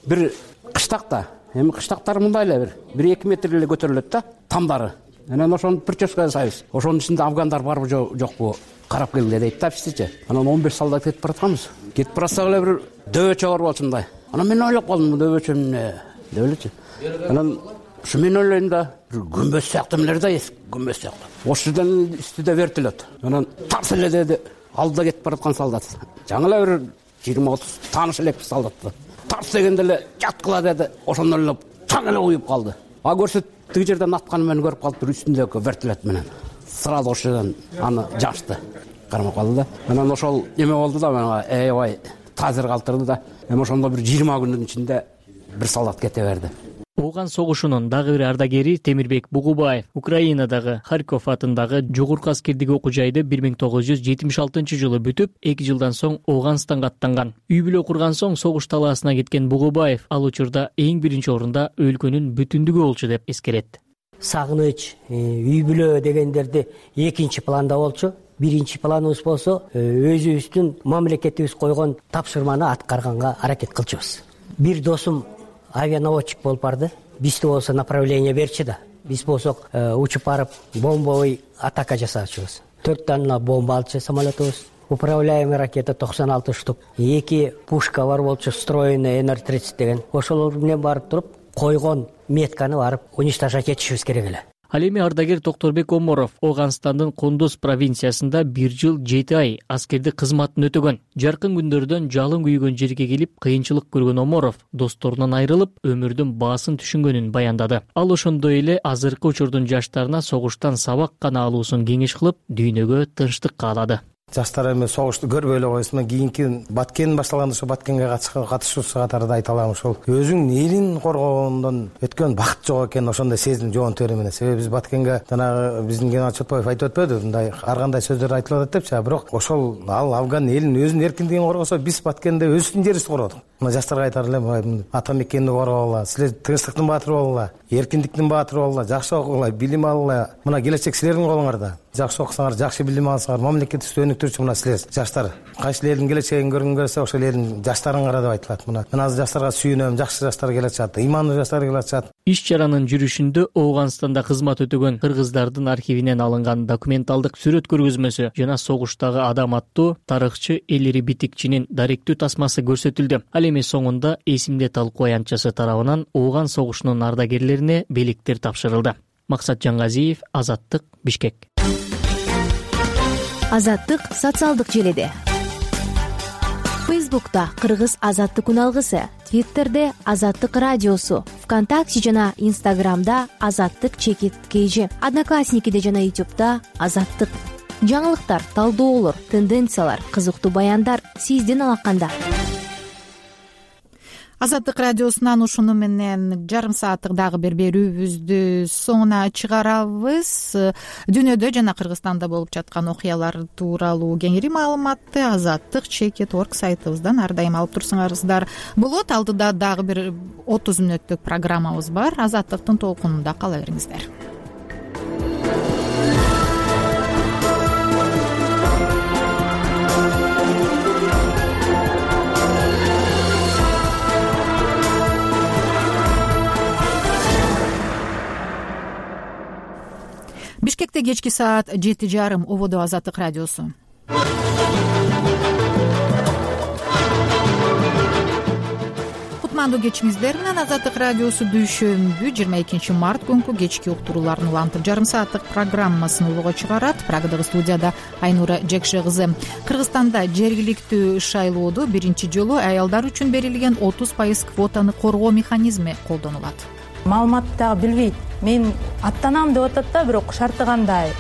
U: Бир кыштакта, эми кыштактар мындай эле бир бир эки метр эле көтөрүлөт да, тамдары. Анан ошону прическа жасайбыз. Ошонун ичинде афгандар барбы жокпу карап келгиле дейт да бизчи. Анан он беш салдат кетип баратканбыз. Кетип барсак эле бир дөбөчө бар болчу мындай. Анан мен ойлоп калдым, дөбөчө эмне деп элечи. Анан ушу мен ойлойм да, бир күмбөз сыяктуу эмелер да, күмбөз сыяктуу. Ошол жерден үстүдө вертолет. Анан тарс эле деди, алдыда кетип бараткан солдат. Жаңы эле бир жыйырма отуз тааныш элекпиз солдатты. Тарс дегенде эле жаткыла деди, ошондон эле таң эле уюп калды. А көрсөт тиги жерден атканы менен көрүп калып, бир үстүндөгү вертолет менен сразу ошол жерден аны жашты. Кармап калды да. Анан ошол эме болду да, мага эйбай тазыр калтырды да. Эми ошондо бир жыйырма күндүн ичинде бир солдат кете берди.
I: Ооган согушунун дагы бир ардагери Темирбек Бугубаев Украинадагы Харьков атындагы жогорку аскердик окуу жайды бир миң тогуз жүз жетимиш алтынчы жылы бүтүп, эки жылдан соң Ооганстанга аттанган. Үй бүлө курган соң согуш талаасына кеткен Бугубаев ал учурда эң биринчи орунда өлкөнүн бүтүндүгү болчу деп эскерет.
V: Сагыныч, үй бүлө дегендерди экинчи планда болчу. Биринчи планыбыз болсо, өзүбүздүн мамлекетибиз койгон тапшырманы аткарганга аракет кылчубуз. Бир досум авианаводчик болуп барды. Бизди болсо направление берчи да. Биз болсок учуп барып бомбовый атака жасаачубуз. төрт дана бомба алчу самолетубуз. Управляемый ракета токсон алты штук. Эки пушка бар болчу, встроенный эн эр тридцать деген. Ошолор менен барып туруп, койгон метканы барып уничтожать этишибиз керек эле.
I: Ал эми ардагер Токторбек Оморов Ооганстандын Кондуз провинциясында бир жыл жети ай аскердик кызматын өтөгөн. Жаркын күндөрдөн жалын күйгөн жерге келип кыйынчылык көргөн Оморов досторунан айрылып, өмүрдүн баасын түшүнгөнүн баяндады. Ал ошондой эле азыркы учурдун жаштарына согуштан сабак гана алуусун кеңеш кылып, дүйнөгө тынчтык каалады.
W: Жаштар эми согушту көрбөй эле койсун, кийинки Баткен башталганда ошо Баткенге катышуучу катарында айта алам, ошол өзүңдүн элин коргоондон өткөн бакыт жок экен, ошондой сезим жоон тери менен. Себеби биз Баткенге жанагы биздин генерал Чотбаев айтып өтпөдү, мындай ар кандай сөздөр айтылып атат депчи, бирок ошол ал Афган элин өзүнүн эркиндигин коргосо, биз Баткенде өзүбүздүн жерибизди коргодук. Мына жаштарга айтар элем, ата мекенди коргогула, силер тынчтыктын баатыры болгула, эркиндиктин баатыры болгула, жакшы окугула, билим алгыла. Мына келечек силердин колуңарда. Жакшы окусаңар, жакшы билим алсаңар, мамлекетибизди өнүктүрчү мына силер жаштар. Кайсы элдин келечегин көргүн келсе, ошол элдин жаштарыңар деп айтылат. Мына мен азыр жаштарга сүйүнөм, жакшы жаштар келе атышат, имандуу жаштар келе атышат.
I: Иш чаранын жүрүшүндө Ооганстанда кызмат өтөгөн кыргыздардын архивинен алынган документалдык сүрөт көргөзмөсү жана согуштагы адам аттуу тарыхчы Элери Битикчинин даректүү тасмасы көрсөтүлдү. Ал эми соңунда эсимде талкуу аянтчасы тарабынан Ооган согушунун ардагерлерине белектер тапшырылды. Максат Жангазиев, Азаттык, Бишкек.
X: Азаттык социалдык желеде. Фейсбукта Кыргыз Азаттык үналгысы, Твиттерде Азаттык радиосу, ВКонтакте жана Инстаграмда Азаттык чекит кейжи, Одноклассникиде жана Ютубта Азаттык. Жаңылыктар, талдоолор, тенденциялар, кызыктуу баяндар сиздин алаканда.
A: Азаттык радиосунан ушуну менен жарым сааттык дагы бир берүүбүздү соңуна чыгарабыз. Дүйнөдө жана Кыргызстанда болуп жаткан окуялар тууралуу кеңири маалыматты азаттык чекит орг сайтыбыздан ар дайым алып турсуңарыздар болот. Алдыда дагы бир отуз мүнөттүк программабыз бар. Азаттыктын толкунунда кала бериңиздер. Бишкекте кечки саат жети жарым. Ободо Азаттык радиосу. Кутмандуу кечиңиздер менен Азаттык радиосу дүйшөмбү жыйырма экинчи март күнкү кечки уктурууларын улантып жарым сааттык программасын улууга чыгарат. Программадагы студияда Айнура Жекше кызы. Кыргызстанда жергиликтүү шайлоодо биринчи жолу аялдар үчүн берилген отуз пайыз квотаны коргоо механизми колдонулат.
B: Маалыматты дагы билбейт. Мен аттанам деп атат да, бирок шарты кандай?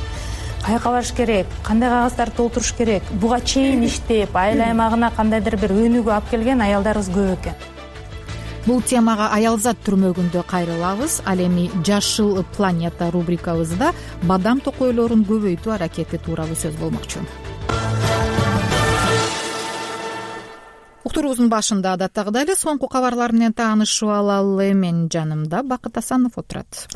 B: Каяка барыш керек? Кандай кагаздарды толтуруш керек? Буга чейин иштеп, айыл аймагына кандайдыр бир өнүгүү алып келген аялдарыбыз көп экен.
A: Бул темага аялзат түрмөгүндө кайрылабыз. Ал эми Жашыл планета рубрикабызда бадам токойлорун көбөйтүү аракети тууралуу сөз болмокчу. Уктуруубуздун башында адаттагыдай эле соңку кабарлар менен таанышып алалы. Мен жанымда Бакыт Асанов отурат.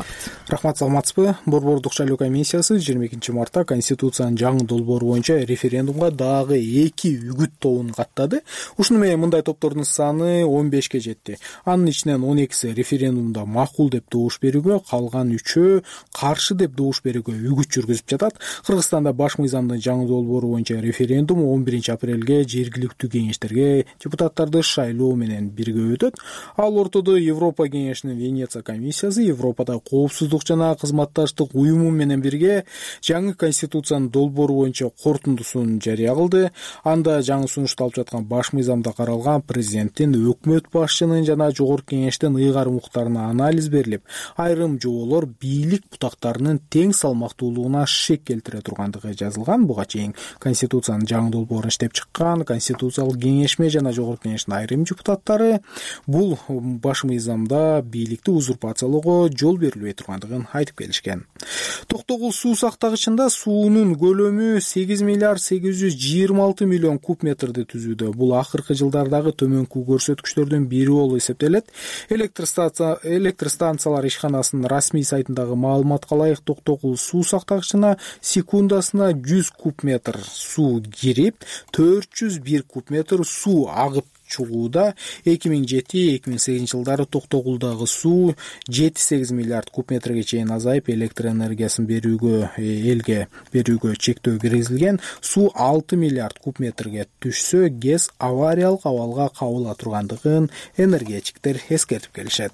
C: Рахмат, саламатсызбы? Борбордук шайлоо комиссиясы жыйырма экинчи мартта Конституциянын жаңы долбоору боюнча референдумга дагы эки үгүт тобун каттады. Ушуну менен мындай топтордун саны он бешке жетти. Анын ичинен он экиси референдумда макул деп добуш берүүгө, калган үчөө каршы деп добуш берүүгө үгүт жүргүзүп жатат. Кыргызстанда баш мыйзамдын жаңы долбоору боюнча референдум он биринчи апрелге жергиликтүү кеңештерге депутаттарды шайлоо менен бирге өтөт. Ал ортодо Европа кеңешинин Венеция комиссиясы Европада коопсуздук жана кызматташтык уюму менен бирге жаңы конституциянын долбоору боюнча корутундусун жарыя кылды. Анда жаңы сунушталып жаткан баш мыйзамда каралган президенттин, өкмөт башчынын жана жогорку кеңештин ыйгарым укуктарына анализ берилип, айрым жоболор бийлик бутактарынын тең салмактуулугуна шек келтире тургандыгы жазылган. Буга чейин конституциянын жаңы долбоорун иштеп чыккан конституциялык кеңешме жана жогорку кеңештин айрым депутаттары бул баш мыйзамда бийликти узурпациялоого жол берилбей тургандыгын айтып келишкен. Токтогул суу сактагычында суунун көлөмү сегиз миллиард сегиз жүз жыйырма алты миллион куб метрди түзүүдө. Бул акыркы жылдардагы төмөнкү көрсөткүчтөрдүн бири болуп эсептелет. Электр станция электр станциялар ишканасынын расмий сайтындагы маалыматка ылайык Токтогул суу сактагычына секундасына жүз куб метр суу кирип, төрт жүз бир куб метр суу агып чыгууда. эки миң жети эки миң сегизинчи жылдары Токтогулдагы суу жети сегиз миллиард куб метрге чейин азайып, электр энергиясын берүүгө элге берүүгө чектөө киргизилген. Суу алты миллиард куб метрге түшсө, ГЭС авариялык абалга кабыла тургандыгын энергетиктер эскертип келишет.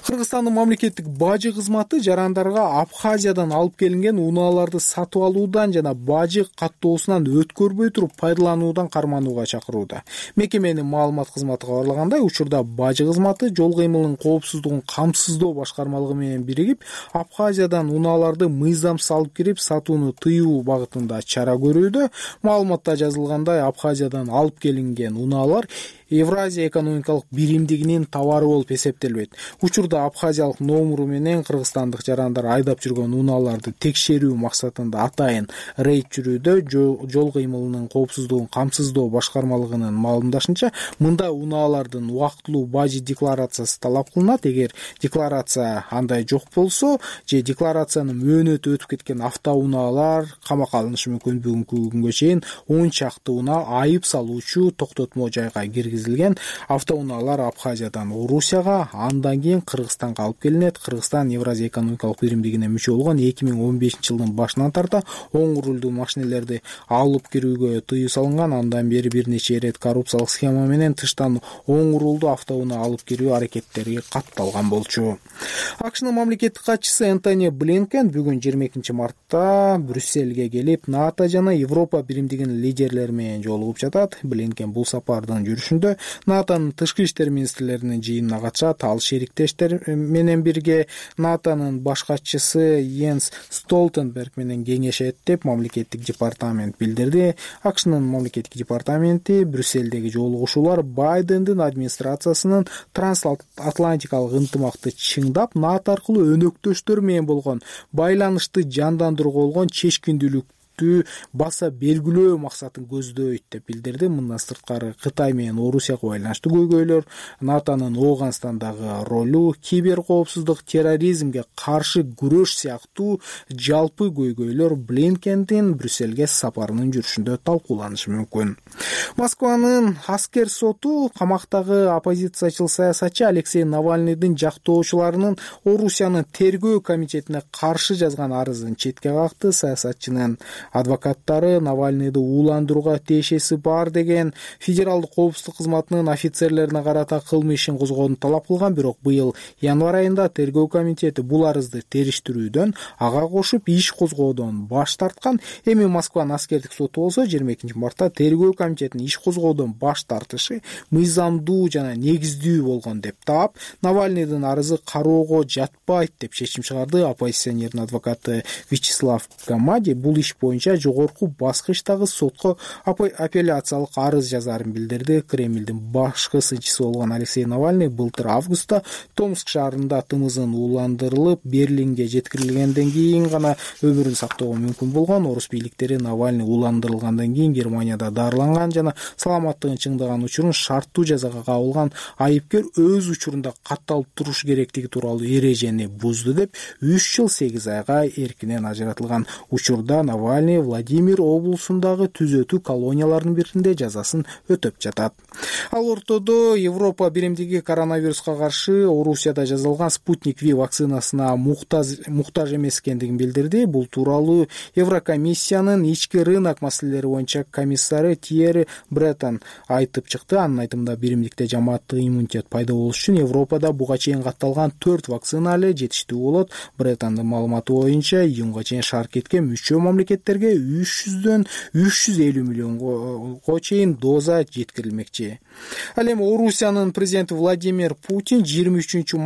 C: Кыргызстандын мамлекеттик бажы кызматы жарандарга Абхазиядан алып келинген унааларды сатып алуудан жана бажы каттоосунан өткөрбөй туруп пайдалануудан карманууга чакырууда. Мекеменин маалымат кызматы кабарлагандай, учурда бажы кызматы жол кыймылынын коопсуздугун камсыздоо башкармалыгы менен биригип, Абхазиядан унааларды мыйзамсыз алып кирип сатууну тыюу багытында чара көрүүдө. Маалыматта жазылгандай, Абхазиядан алып келинген унаалар Евразия экономикалык биримдигинин товары болуп эсептелбейт. Учурда абхазиялык номуру менен кыргызстандык жарандар айдап жүргөн унааларды текшерүү максатында атайын рейд жүрүүдө. Жол кыймылынын коопсуздугун камсыздоо башкармалыгынын маалымдашынча, мында унаалардын убактылуу бажы декларациясы талап кылынат. Эгер декларация андай жок болсо же декларациянын мөөнөтү өтүп кеткен автоунаалар камакка алынышы мүмкүн. Бүгүнкү күнгө чейин он чакты унаа айып салуучу токтотмо жайга киргизилген. Автоунаалар Абхазиядан Орусияга, андан кийин Кыргызстанга алып келинет. Кыргызстан Евразия экономикалык биримдигине мүчө болгон эки миң он бешинчи жылдын башынан тарта оң рулдуу машинелерди алып кирүүгө тыюу салынган. Андан бери бир нече ирет коррупциялык схема менен тыштан оң рулдуу автоунаа алып кирүү аракеттери катталган болчу. АКШнын мамлекеттик катчысы Энтони Блинкен бүгүн жыйырма экинчи мартта Брюссельге келип, НАТО жана Европа биримдигинин лидерлери менен жолугуп жатат. Блинкен бул сапардын жүрүшүндө жүрүшүндө натонун тышкы иштер министрлеринин жыйынына катышат. Ал шериктештер менен бирге натонун баш катчысы Йенс Столтенберг менен кеңешет деп мамлекеттик департамент билдирди. АКШнын мамлекеттик департаменти Брюссельдеги жолугушуулар Байдендин администрациясынын трансатлантикалык ынтымакты чыңдап, НАТО аркылуу өнөктөштөр менен болгон байланышты жандандырууга болгон чечкиндүүлүк баса белгилөө максатын көздөйт деп билдирди. Мындан сырткары Кытай менен Орусияга байланыштуу көйгөйлөр, натонун Ооганстандагы ролу, кибер коопсуздук, терроризмге каршы күрөш сыяктуу жалпы көйгөйлөр Блинкендин Брюссельге сапарынын жүрүшүндө талкууланышы мүмкүн. Москванын аскер соту камактагы оппозициячыл саясатчы Алексей Навальныйдын жактоочуларынын Орусиянын тергөө комитетине каршы жазган арызын четке какты. Саясатчынын адвокаттары Навальныйды ууландырууга тиешеси бар деген федералдык коопсуздук кызматынын офицерлерине карата кылмыш ишин козгоону талап кылган, бирок быйыл январь айында тергөө комитети бул арызды териштирүүдөн, ага кошуп иш козгоодон баш тарткан. Эми Москванын аскердик соту болсо жыйырма экинчи мартта тергөө комитетинин иш козгоодон баш тартышы мыйзамдуу жана негиздүү болгон деп таап, Навальныйдын арызы кароого жатпайт деп чечим чыгарды. Оппозиционердин адвокаты Вячеслав Гамади бул иш боюнча жогорку баскычтагы сотко апелляциялык арыз жазарын билдирди. Кремлдин башкы сынчысы болгон Алексей Навальный былтыр августта Томск шаарында тымызын ууландырылып, Берлинге жеткирилгенден кийин гана өмүрүн сактоого мүмкүн болгон. Орус бийликтери Навальный ууландырылгандан кийин Германияда дарыланган жана саламаттыгын чыңдаган учурун шарттуу жазага кабылган айыпкер өз учурунда катталып туруш керектиги тууралуу эрежени бузду деп үч жыл сегиз айга эркинен ажыратылган. Учурда Навальный Владимир облусундагы түзөтүү колонияларынын биринде жазасын өтөп жатат. Ал ортодо Европа биримдиги коронавируска каршы Орусияда жасалган Спутник V вакцинасына муктаж муктаж эмес экендигин билдирди. Бул тууралуу Еврокомиссиянын ички рынок маселелери боюнча комиссары Тьерри Бреттон айтып чыкты. Анын айтымында биримдикте жамааттык иммунитет пайда болуш үчүн Европада буга чейин катталган төрт вакцина эле жетиштүү болот. Бреттондун маалыматы боюнча июнга чейин шаркетке мүчө мамлекеттерге үч жүздөн үч жүз элүү миллионго чейин доза жеткирилмекчи. Ал эми Орусиянын президенти Владимир Путин жыйырма үчүнчү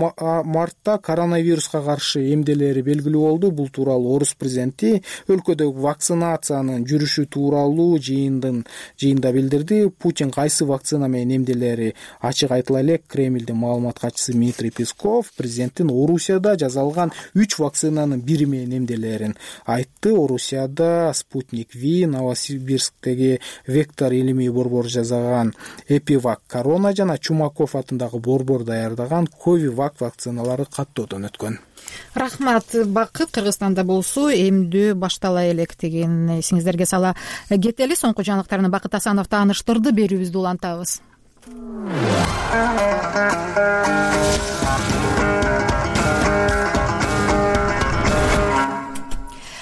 C: мартта коронавируска каршы эмделери белгилүү болду. Бул тууралуу Орус президенти өлкөдөгү вакцинациянын жүрүшү тууралуу жыйындын жыйында билдирди. Путин кайсы вакцина менен эмделери ачык айтыла элек. Кремлдин маалымат катчысы Дмитрий Песков президенттин Орусияда жасалган үч вакцинанын бири менен эмделерин айтты. Орусияда Спутник V, Новосибирсктеги Вектор илимий борбор жасаган Эпивак Корона жана Чумаков атындагы борбор даярдаган Ковивак вакциналары каттоодон өткөн.
A: Рахмат, Бакыт. Кыргызстанда болсо эмдөө баштала элек деген эсиңиздерге сала кетели. Соңку жаңылыктарны Бакыт Асанов тааныштырды, берүүбүздү улантабыз.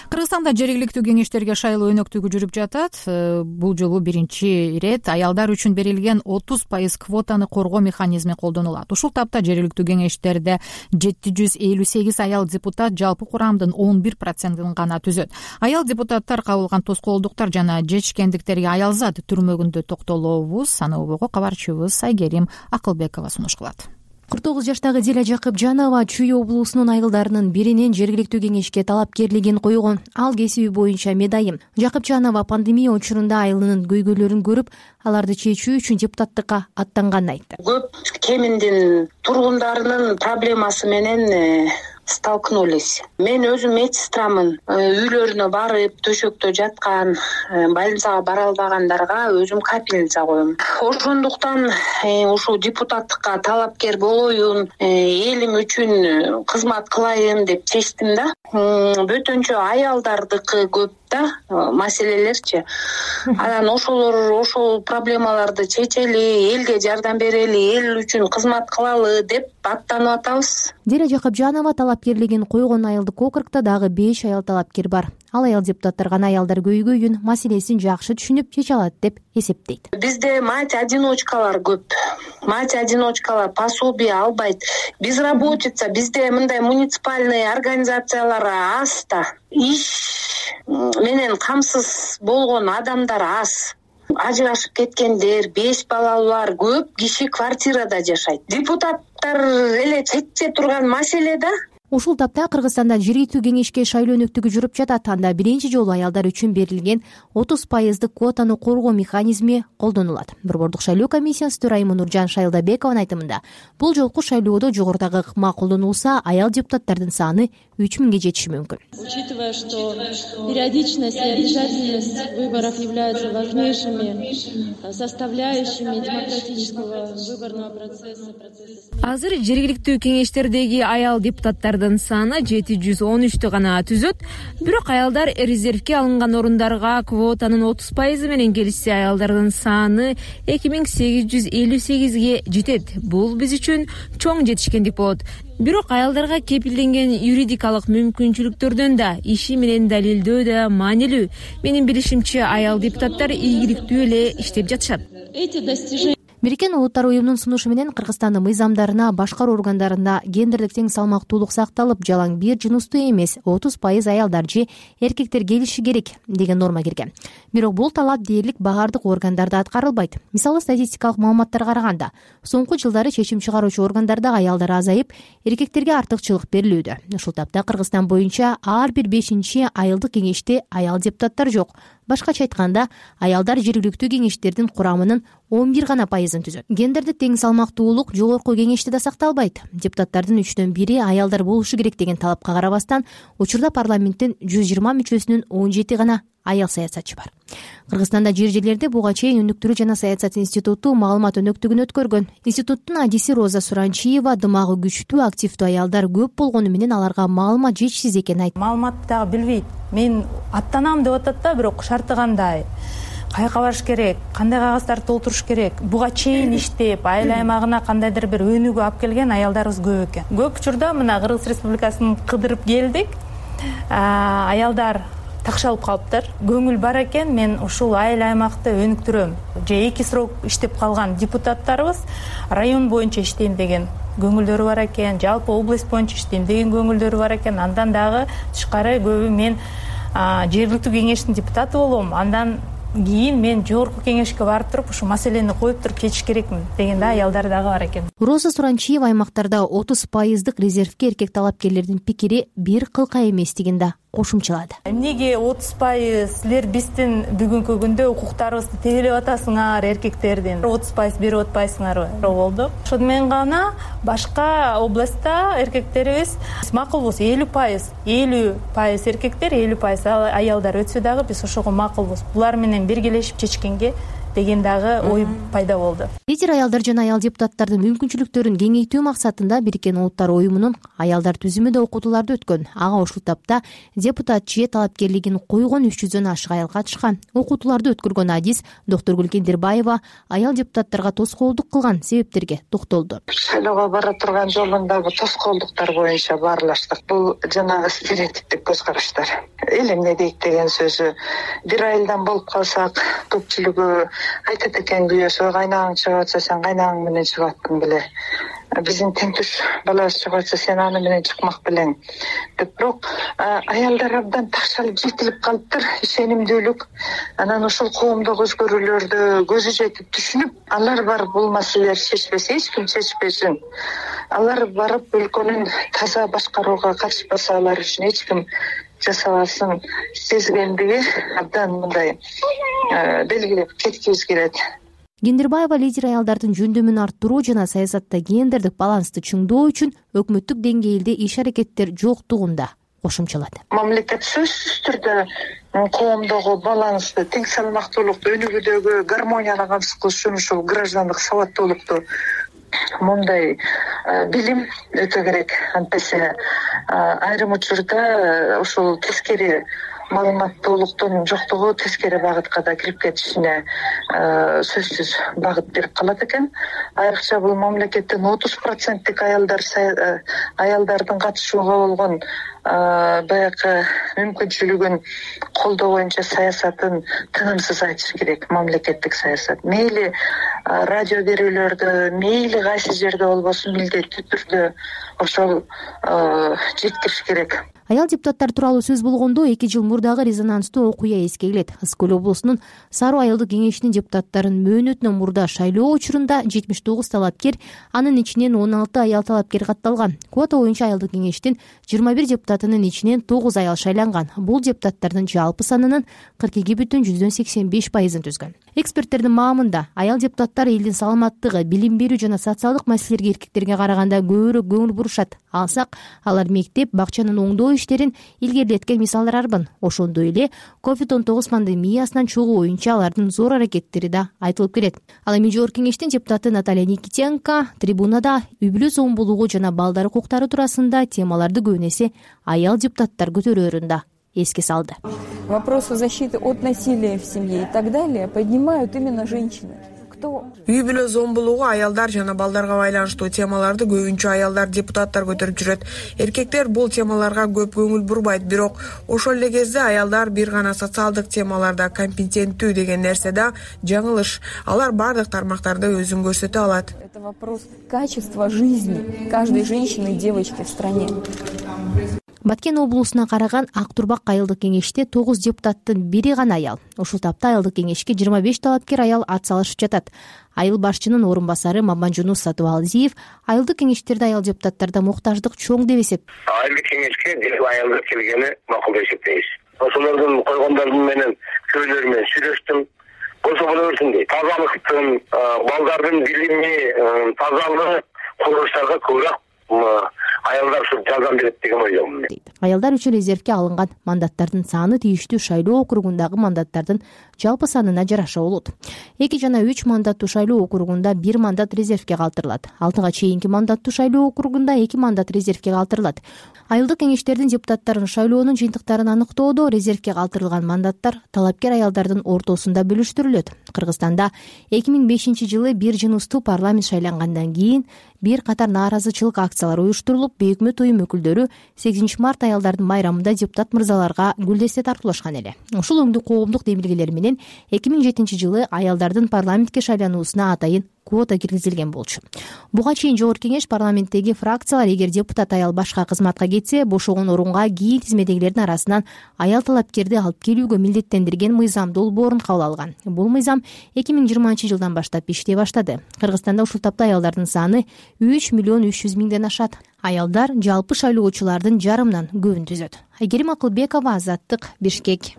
A: Кыргызстанда жергиликтүү кеңештерге шайлоо өнөктүгү жүрүп жатат. Бул жолу биринчи ирет аялдар үчүн берилген отуз пайыз квотаны коргоо механизми колдонулат. Ушул тапта жергиликтүү кеңештерде жети жүз элүү сегиз аял депутат жалпы курамдын он бир процентин гана түзөт. Аял депутаттар кабылган тоскоолдуктар жана жечкендиктерге аялзат түрмөгүндө токтолобуз. Аны обого кабарчыбыз Айгерим Акылбекова сунуш кылат.
X: кырк тогуз жаштагы Зиля Жакыпжанова Чүй облусунун айылдарынын биринен жергиликтүү кеңешке талапкерлигин койгон. Ал кесиби боюнча медайым. Жакыпжанова пандемия учурунда айылынын көйгөйлөрүн көрүп, аларды чечүү үчүн депутаттыкка аттанганын айтты.
D: Көп кеминдин тургундарынын проблемасы менен столкнулись. Мен өзүм медсестрамын. Үйлөрүнө барып, төшөктө жаткан, больницага бара албагандарга өзүм капельница коем. Ошондуктан ушул депутаттыкка талапкер болоюн, элим үчүн кызмат кылайын деп чечтим да. Бөтөнчө аялдардыкы көп да маселелерчи. Анан ошолор ошол проблемаларды чечели, элге жардам берели, эл үчүн кызмат кылалы деп аттанып атабыз.
X: Зиля Жакыпжанова талапкерлигин койгон айылдык округда дагы беш аял талапкер бар. Ал аял депутаттар гана аялдар көйгөйүн, маселесин жакшы түшүнүп чече алат деп эсептейт.
D: Бизде мать-одиночкалар көп. Мать-одиночкалар пособие албайт. Безработица бизде мындай муниципальный организациялар аз да. Иш менен камсыз болгон адамдар аз. ажырашып кеткендер, беш балалуулар, көп киши квартирада жашайт. Депутаттар эле чече турган маселе да.
X: Ушул тапта Кыргызстанда жергиликтүү кеңешке шайлоо өнөктүгү жүрүп жатат. Анда биринчи жолу аялдар үчүн берилген отуз пайыздык квотаны коргоо механизми колдонулат. Борбордук шайлоо комиссиясынын төрайымы Нуржан Шайлдабекованын айтымында, бул жолку шайлоодо жогорудагы ыкма колдонулса, аял депутаттардын саны үч миңге жетиши мүмкүн.
E: Учитывая, что периодичность и обязательность выборов являются важнейшими составляющими демократического выборного процесса.
F: Азыр жергиликтүү кеңештердеги аял депутаттардын саны жети жүз он үчтү гана түзөт. Бирок аялдар резервке алынган орундарга квотанын отуз пайызы менен келишсе, аялдардын саны эки миң сегиз жүз элүү сегизге жетет. Бул биз үчүн чоң жетишкендик болот. Бирок аялдарга кепилденген юридикалык мүмкүнчүлүктөрдөн да, иши менен далилдөө да маанилүү. Менин билишимче, аял депутаттар ийгиликтүү эле иштеп жатышат.
X: Бириккен Улуттар уюмунун сунушу менен Кыргызстандын мыйзамдарына башкаруу органдарында гендердик тең салмактуулук сакталып, жалаң бир жыныстуу эмес отуз пайыз аялдар же эркектер келиши керек деген норма кирген. Бирок бул талап дээрлик баардык органдарда аткарылбайт. Мисалы, статистикалык маалыматтарга караганда, соңку жылдары чечим чыгаруучу органдарда аялдар азайып, эркектерге артыкчылык берилүүдө. Ушул тапта Кыргызстан боюнча ар бир бешинчи айылдык кеңеште аял депутаттар жок. Башкача айтканда, аялдар жергиликтүү кеңештердин курамынын он бир гана пайызын түзөт. Гендердик тең салмактуулук жогорку кеңеште да сакталбайт. Депутаттардын үчтөн бири аялдар болушу керек деген талапка карабастан, учурда парламенттин жүз жыйырма мүчөсүнүн он жети гана аял саясатчы бар. Кыргызстанда жер жерлерде буга чейин өнүктүрүү жана саясат институту маалымат өнөктүгүн өткөргөн. Институттун адиси Роза Суранчиева дымагы күчтүү, активдүү аялдар көп болгону менен аларга маалымат жетишсиз экенин айтты.
B: Маалыматты дагы билбейт. Мен аттанам деп атат да, бирок шарты кандай? Каяка барыш керек, кандай кагаздарды толтуруш керек, буга чейин иштеп, айыл аймагына кандайдыр бир өнүгүү алып келген аялдарыбыз көп экен. Көп учурда мына Кыргыз Республикасын кыдырып келдик. Аялдар такшалып калыптыр. Көңүл бар экен, мен ушул айыл аймакты өнүктүрөм. Же эки срок иштеп калган депутаттарыбыз район боюнча иштейм деген көңүлдөрү бар экен, жалпы область боюнча иштейм деген көңүлдөрү бар экен. Андан дагы тышкары көбү мен жергиликтүү кеңештин депутаты болом. Андан кийин мен жогорку кеңешке барып туруп ушу маселени коюп туруп чечиш керекмин деген да аялдар дагы бар экен.
X: Роза Суранчиева аймактарда отуз пайыздык резервке эркек талапкерлердин пикири бир кылка эместигин да кошумчалады.
B: Эмнеге отуз пайыз силер биздин бүгүнкү күндө укуктарыбызды тебелеп атасыңар, эркектердин отуз пайыз берип атпайсыңарбы? Болду. Ошону менен гана башка областта эркектерибиз макулбуз, элүү пайыз, элүү пайыз эркектер, элүү пайыз аялдар өтсө дагы биз ошого макулбуз. Булар менен биргелешип чечкенге деген дагы ой пайда болду.
X: Лидер аялдар жана аял депутаттардын мүмкүнчүлүктөрүн кеңейтүү максатында Бириккен Улуттар уюмунун аялдар түзүмүндө окутууларды өткөн. Ага ушул тапта депутат же талапкерлигин койгон үч жүздөн ашык аял катышкан. Окутууларды өткөргөн адис Доктургүл Кендирбаева аял депутаттарга тоскоолдук кылган себептерге токтолду.
G: Шайлоого бара турган жолундагы тоскоолдуктар боюнча баарлаштык. Бул жанагы стереотиптик көз караштар. Эл эмне дейт деген сөзү. Бир айылдан болуп калсак, көпчүлүгү айтат экен, күйөөсү кайнагың чыгып атса сен кайнагың менен чыгып аттың беле. Биздин теңтүш баласы чыгып атса сен аны менен чыкмак белең деп. Бирок аялдар абдан такшалып жетилип калыптыр, ишенимдүүлүк. Анан ушул коомдогу өзгөрүүлөрдү көзү жетип түшүнүп, алар бар бул маселелерди чечпесе, эч ким чечпесин. Алар барып өлкөнүн таза башкарууга катышпаса, алар үчүн эч ким жасабасын сезгендиги абдан мындай белгилеп кеткибиз келет.
X: Кендирбаева лидер аялдардын жөндөмүн арттыруу жана саясатта гендердик балансты чыңдоо үчүн өкмөттүк деңгээлде иш-аракеттер жоктугунда кошумчалады.
G: Мамлекет сөзсүз түрдө коомдогу балансты, тең салмактуулукту, өнүгүүдөгү гармонияны камсыз кылыш үчүн ушул граждандык сабаттуулукту, мындай билим өтө керек. Антесе айрым учурда ушул тескери маалыматтуулуктун жоктугу тескери багытка да кирип кетишине сөзсүз багыт берип калат экен. Айрыкча бул мамлекеттин отуз проценттик аялдар аялдардын катышууга болгон баягы мүмкүнчүлүгүн колдоо боюнча саясатын тынымсыз айтыш керек. Мамлекеттик саясат мейли радио берүүлөрдө, мейли кайсы жерде болбосун, милдеттүү түрдө ошол жеткириш керек.
X: Аял депутаттар тууралуу сөз болгондо эки жыл мурдагы резонанстуу окуя эске келет. Ысык көл облусунун Саруу айылдык кеңешинин депутаттарын мөөнөтүнөн мурда шайлоо учурунда жетимиш тогуз талапкер, анын ичинен он алты аял талапкер катталган. Квота боюнча айылдык кеңештин жыйырма бир депутатынын ичинен тогуз аял шайланган. Бул депутаттардын жалпы санынын кырк эки бүтүн жүздөн сексен беш пайызын түзгөн. Эксперттердин маамында аял депутаттар элдин саламаттыгы, билим берүү жана социалдык маселелерге эркектерге караганда көбүрөөк көңүл бурушат. Алсак, алар мектеп, бакчанын оңдоо иштерин илгерилеткен мисалдар арбын. Ошондой эле ковид он тогуз пандемиясынан чыгуу боюнча алардын зор аракеттери да айтылып келет. Ал эми жогорку кеңештин депутаты Наталья Никитенко трибунада үй бүлө зомбулугу жана балдар укуктары туурасында темаларды көбүн эсе аял депутаттар көтөрөөрүн да эске салды.
H: Вопросы защиты от насилия в семье и так далее поднимают именно женщины.
J: Үй бүлө зомбулугу, аялдар жана балдарга байланыштуу темаларды көбүнчө аялдар депутаттар көтөрүп жүрөт. Эркектер бул темаларга көп көңүл бурбайт, бирок ошол эле кезде аялдар бир гана социалдык темаларда компетенттүү деген нерседе жаңылыш. Алар бардык тармактарда өзүн көрсөтө алат.
H: Это вопрос качества жизни каждой женщины и девочки в стране.
X: Баткен облусуна караган Ак Турбак айылдык кеңеште тогуз депутаттын бири гана аял. Ушул тапта айылдык кеңешке жыйырма беш талапкер аял ат салышып жатат. Айыл башчынын орун басары Маманжунус Сатыбалдиев айылдык кеңештерде аял депутаттарда муктаждык чоң деп эсеп.
K: Айылдык кеңешке бир аялдар келгени макул деп эсептейбиз. Ошолордун койгондордун менен көбүлөрү менен сүйлөштүм. Болсо боло берсин дейт. Тазалыктын, балдардын билими, тазалык курулуштарга көбүрөөк аялдар ушу жардам берет деген ойдомун.
X: Аялдар үчүн резервге алынган мандаттардын саны тийиштүү шайлоо округундагы мандаттардын жалпы санына жараша болот. эки жана үч мандаттуу шайлоо округунда бир мандат резервге калтырылат. алтыга чейинки мандаттуу шайлоо округунда эки мандат резервге калтырылат. Айылдык кеңештердин депутаттарын шайлоонун жыйынтыктарын аныктоодо резервге калтырылган мандаттар талапкер аялдардын ортосунда бөлүштүрүлөт. Кыргызстанда эки миң бешинчи жылы бир жыныстуу парламент шайлангандан кийин бир катар нааразычылык акциялар уюштурулуп, бейөкмөт уюм өкүлдөрү сегизинчи март аялдардын байрамында депутат мырзаларга гүлдесте тартуулашкан эле. Ушул өңдүү коомдук демилгелер менен эки миң жетинчи жылы аялдардын парламентке шайлануусуна атайын квота киргизилген болчу. Буга чейин жогорку кеңеш парламенттеги фракциялар эгер депутат аял башка кызматка кетсе, бошогон орунга кийин тизмедегилердин арасынан аял талапкерди алып келүүгө милдеттендирген мыйзам долбоорун кабыл алган. Бул мыйзам эки миң жыйырманчы жылдан баштап иштей баштады. Кыргызстанда ушул тапта аялдардын саны үч миллион үч жүз миңден ашат. Аялдар жалпы шайлоочулардын жарымынан көбүн түзөт. Айгерим Акылбекова, Азаттык, Бишкек.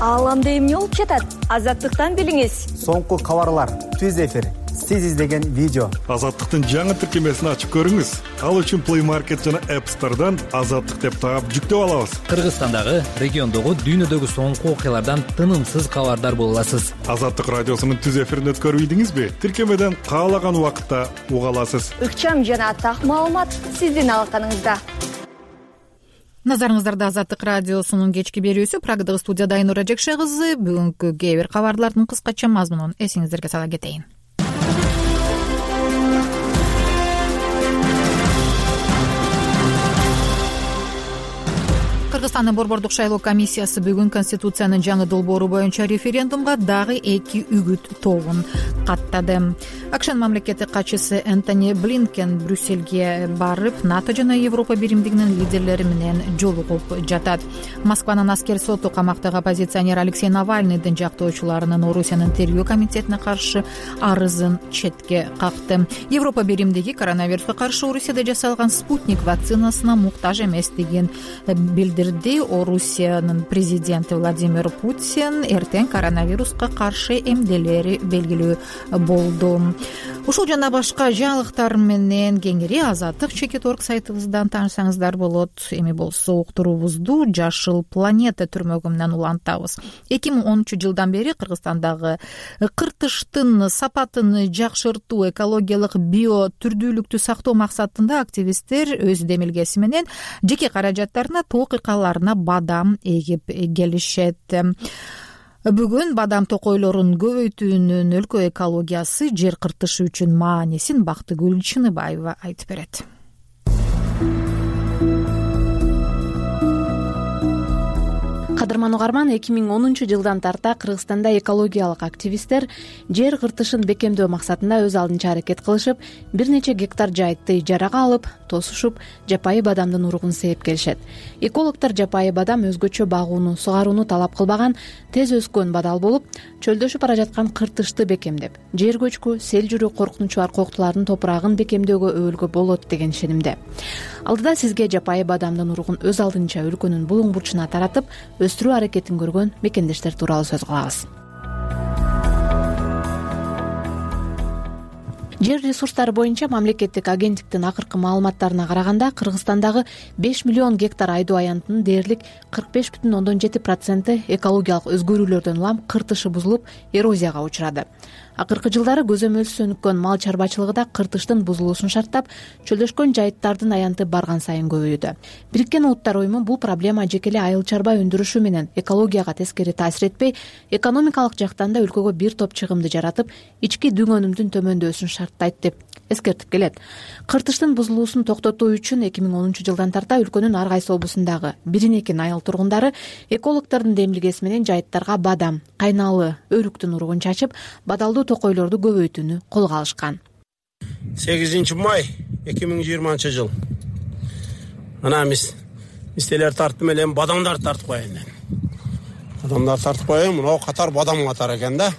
L: Ааламда эмне болуп жатат? Азаттыктан билиңиз.
Y: Соңку кабарлар, түз эфир, сиз издеген видео.
M: Азаттыктын жаңы тиркемесин ачып көрүңүз. Ал үчүн Play Market жана App Store'дан Азаттык деп таап жүктөп алабыз.
Z: Кыргызстандагы, региондогу, дүйнөдөгү соңку окуялардан тынымсыз кабардар боло аласыз.
M: Азаттык радиосунун түз эфирин өткөрбөйдүңүзбү? Тиркемеден каалаган убакытта уга аласыз.
L: Ыкчам жана так маалымат сиздин алаканыңызда.
A: Назарыңыздарда Азаттык радиосунун кечки берүүсү. Прагдагы студияда Айнура Жекше кызы. Бүгүнкү кээ бир кабарлардын кыскача мазмунун эсиңиздерге сала кетейин. Кыргызстандын Борбордук шайлоо комиссиясы бүгүн Конституциянын жаңы долбоору боюнча референдумга дагы эки үгүт тобун каттады. АКШнын мамлекеттик катчысы Энтони Блинкен Брюссельге барып, НАТО жана Европа биримдигинин лидерлери менен жолугуп жатат. Москванын аскер соту камактагы оппозиционер Алексей Навальныйдын жактоочуларынын Орусиянын тергөө комитетине каршы арызын четке какты. Европа биримдиги коронавируска каршы Орусияда жасалган спутник вакцинасына муктаж эместигин билдирди. Орусиянын президенти Владимир Путин эртең коронавируска каршы эмделери белгилүү болду. Ушул жана башка жаңылыктар менен кеңири Азаттык чекит точка орг сайтыбыздан таанышсаңыздар болот. Эми болсо уктуруубузду Жашыл планета түрмөгүнөн улантабыз. эки миң онунчу жылдан бери Кыргызстандагы кыртыштын сапатын жакшыртуу, экологиялык био түрдүүлүктү сактоо максатында активисттер өз демилгеси менен жеке каражаттарына тоок ыкаларына бадам эгип келишет. Бүгүн бадам токойлорун көбөйтүүнүн өлкө экологиясы, жер кыртышы үчүн маанисин Бактыгүл Чыныбаева айтып берет.
N: кадырман угарман, эки миң онунчу жылдан тарта Кыргызстанда экологиялык активисттер жер кыртышын бекемдөө максатында өз алдынча аракет кылышып, бир нече гектар жайтты ижарага алып, тосушуп, жапайы бадамдын уругун сээп келишет. Экологдор жапайы бадам өзгөчө багууну, сугарууну талап кылбаган, тез өскөн бадал болуп, чөлдөшүп бара жаткан кыртышты бекемдеп, жер көчкү, сел жүрүү коркунучу аркоктулардын топурагын бекемдөөгө өбөлгө болот деген ишенимде. Алдыда сизге жапайы бадамдын уругун өз алдынча өлкөнүн булуң бурчуна таратып, өстүрүү аракетин көргөн мекендештер тууралуу сөз кылабыз. Жер ресурстары боюнча мамлекеттик агенттиктин акыркы маалыматтарына караганда, Кыргызстандагы беш миллион гектар айдоо аянтынын дээрлик кырк беш бүтүн ондон жети проценти экологиялык өзгөрүүлөрдөн улам кыртышы бузулуп, эрозияга учурады. Акыркы жылдары көзөмөлсүз өнүккөн мал чарбачылыгы да кыртыштын бузулуусун шарттап, чөлдөшкөн жайыттардын аянты барган сайын көбөйүүдө. Бириккен Улуттар уюму бул проблема жеке эле айыл чарба өндүрүшү менен экологияга тескери таасир этпей, экономикалык жактан да өлкөгө бир топ чыгымды жаратып, ички дүң өнүмдүн төмөндөшүн шарттайт деп эскертип келет. Кыртыштын бузулуусун токтотуу үчүн эки миң онунчу жылдан тарта өлкөнүн ар кайсы облусундагы бирин экин айыл тургундары экологдордун демилгеси менен жайыттарга бадам, кайнаалы, өрүктүн уругун чачып, бадалдуу токойлорду көбөйтүүнү колго алышкан.
O: сегизинчи май эки миң жыйырманчы жыл. Ана биз мистелер тартып элем, бадамдар тартып коеюн мен. Бадамдар тартып коеюн, мына катар бадам катар экен да.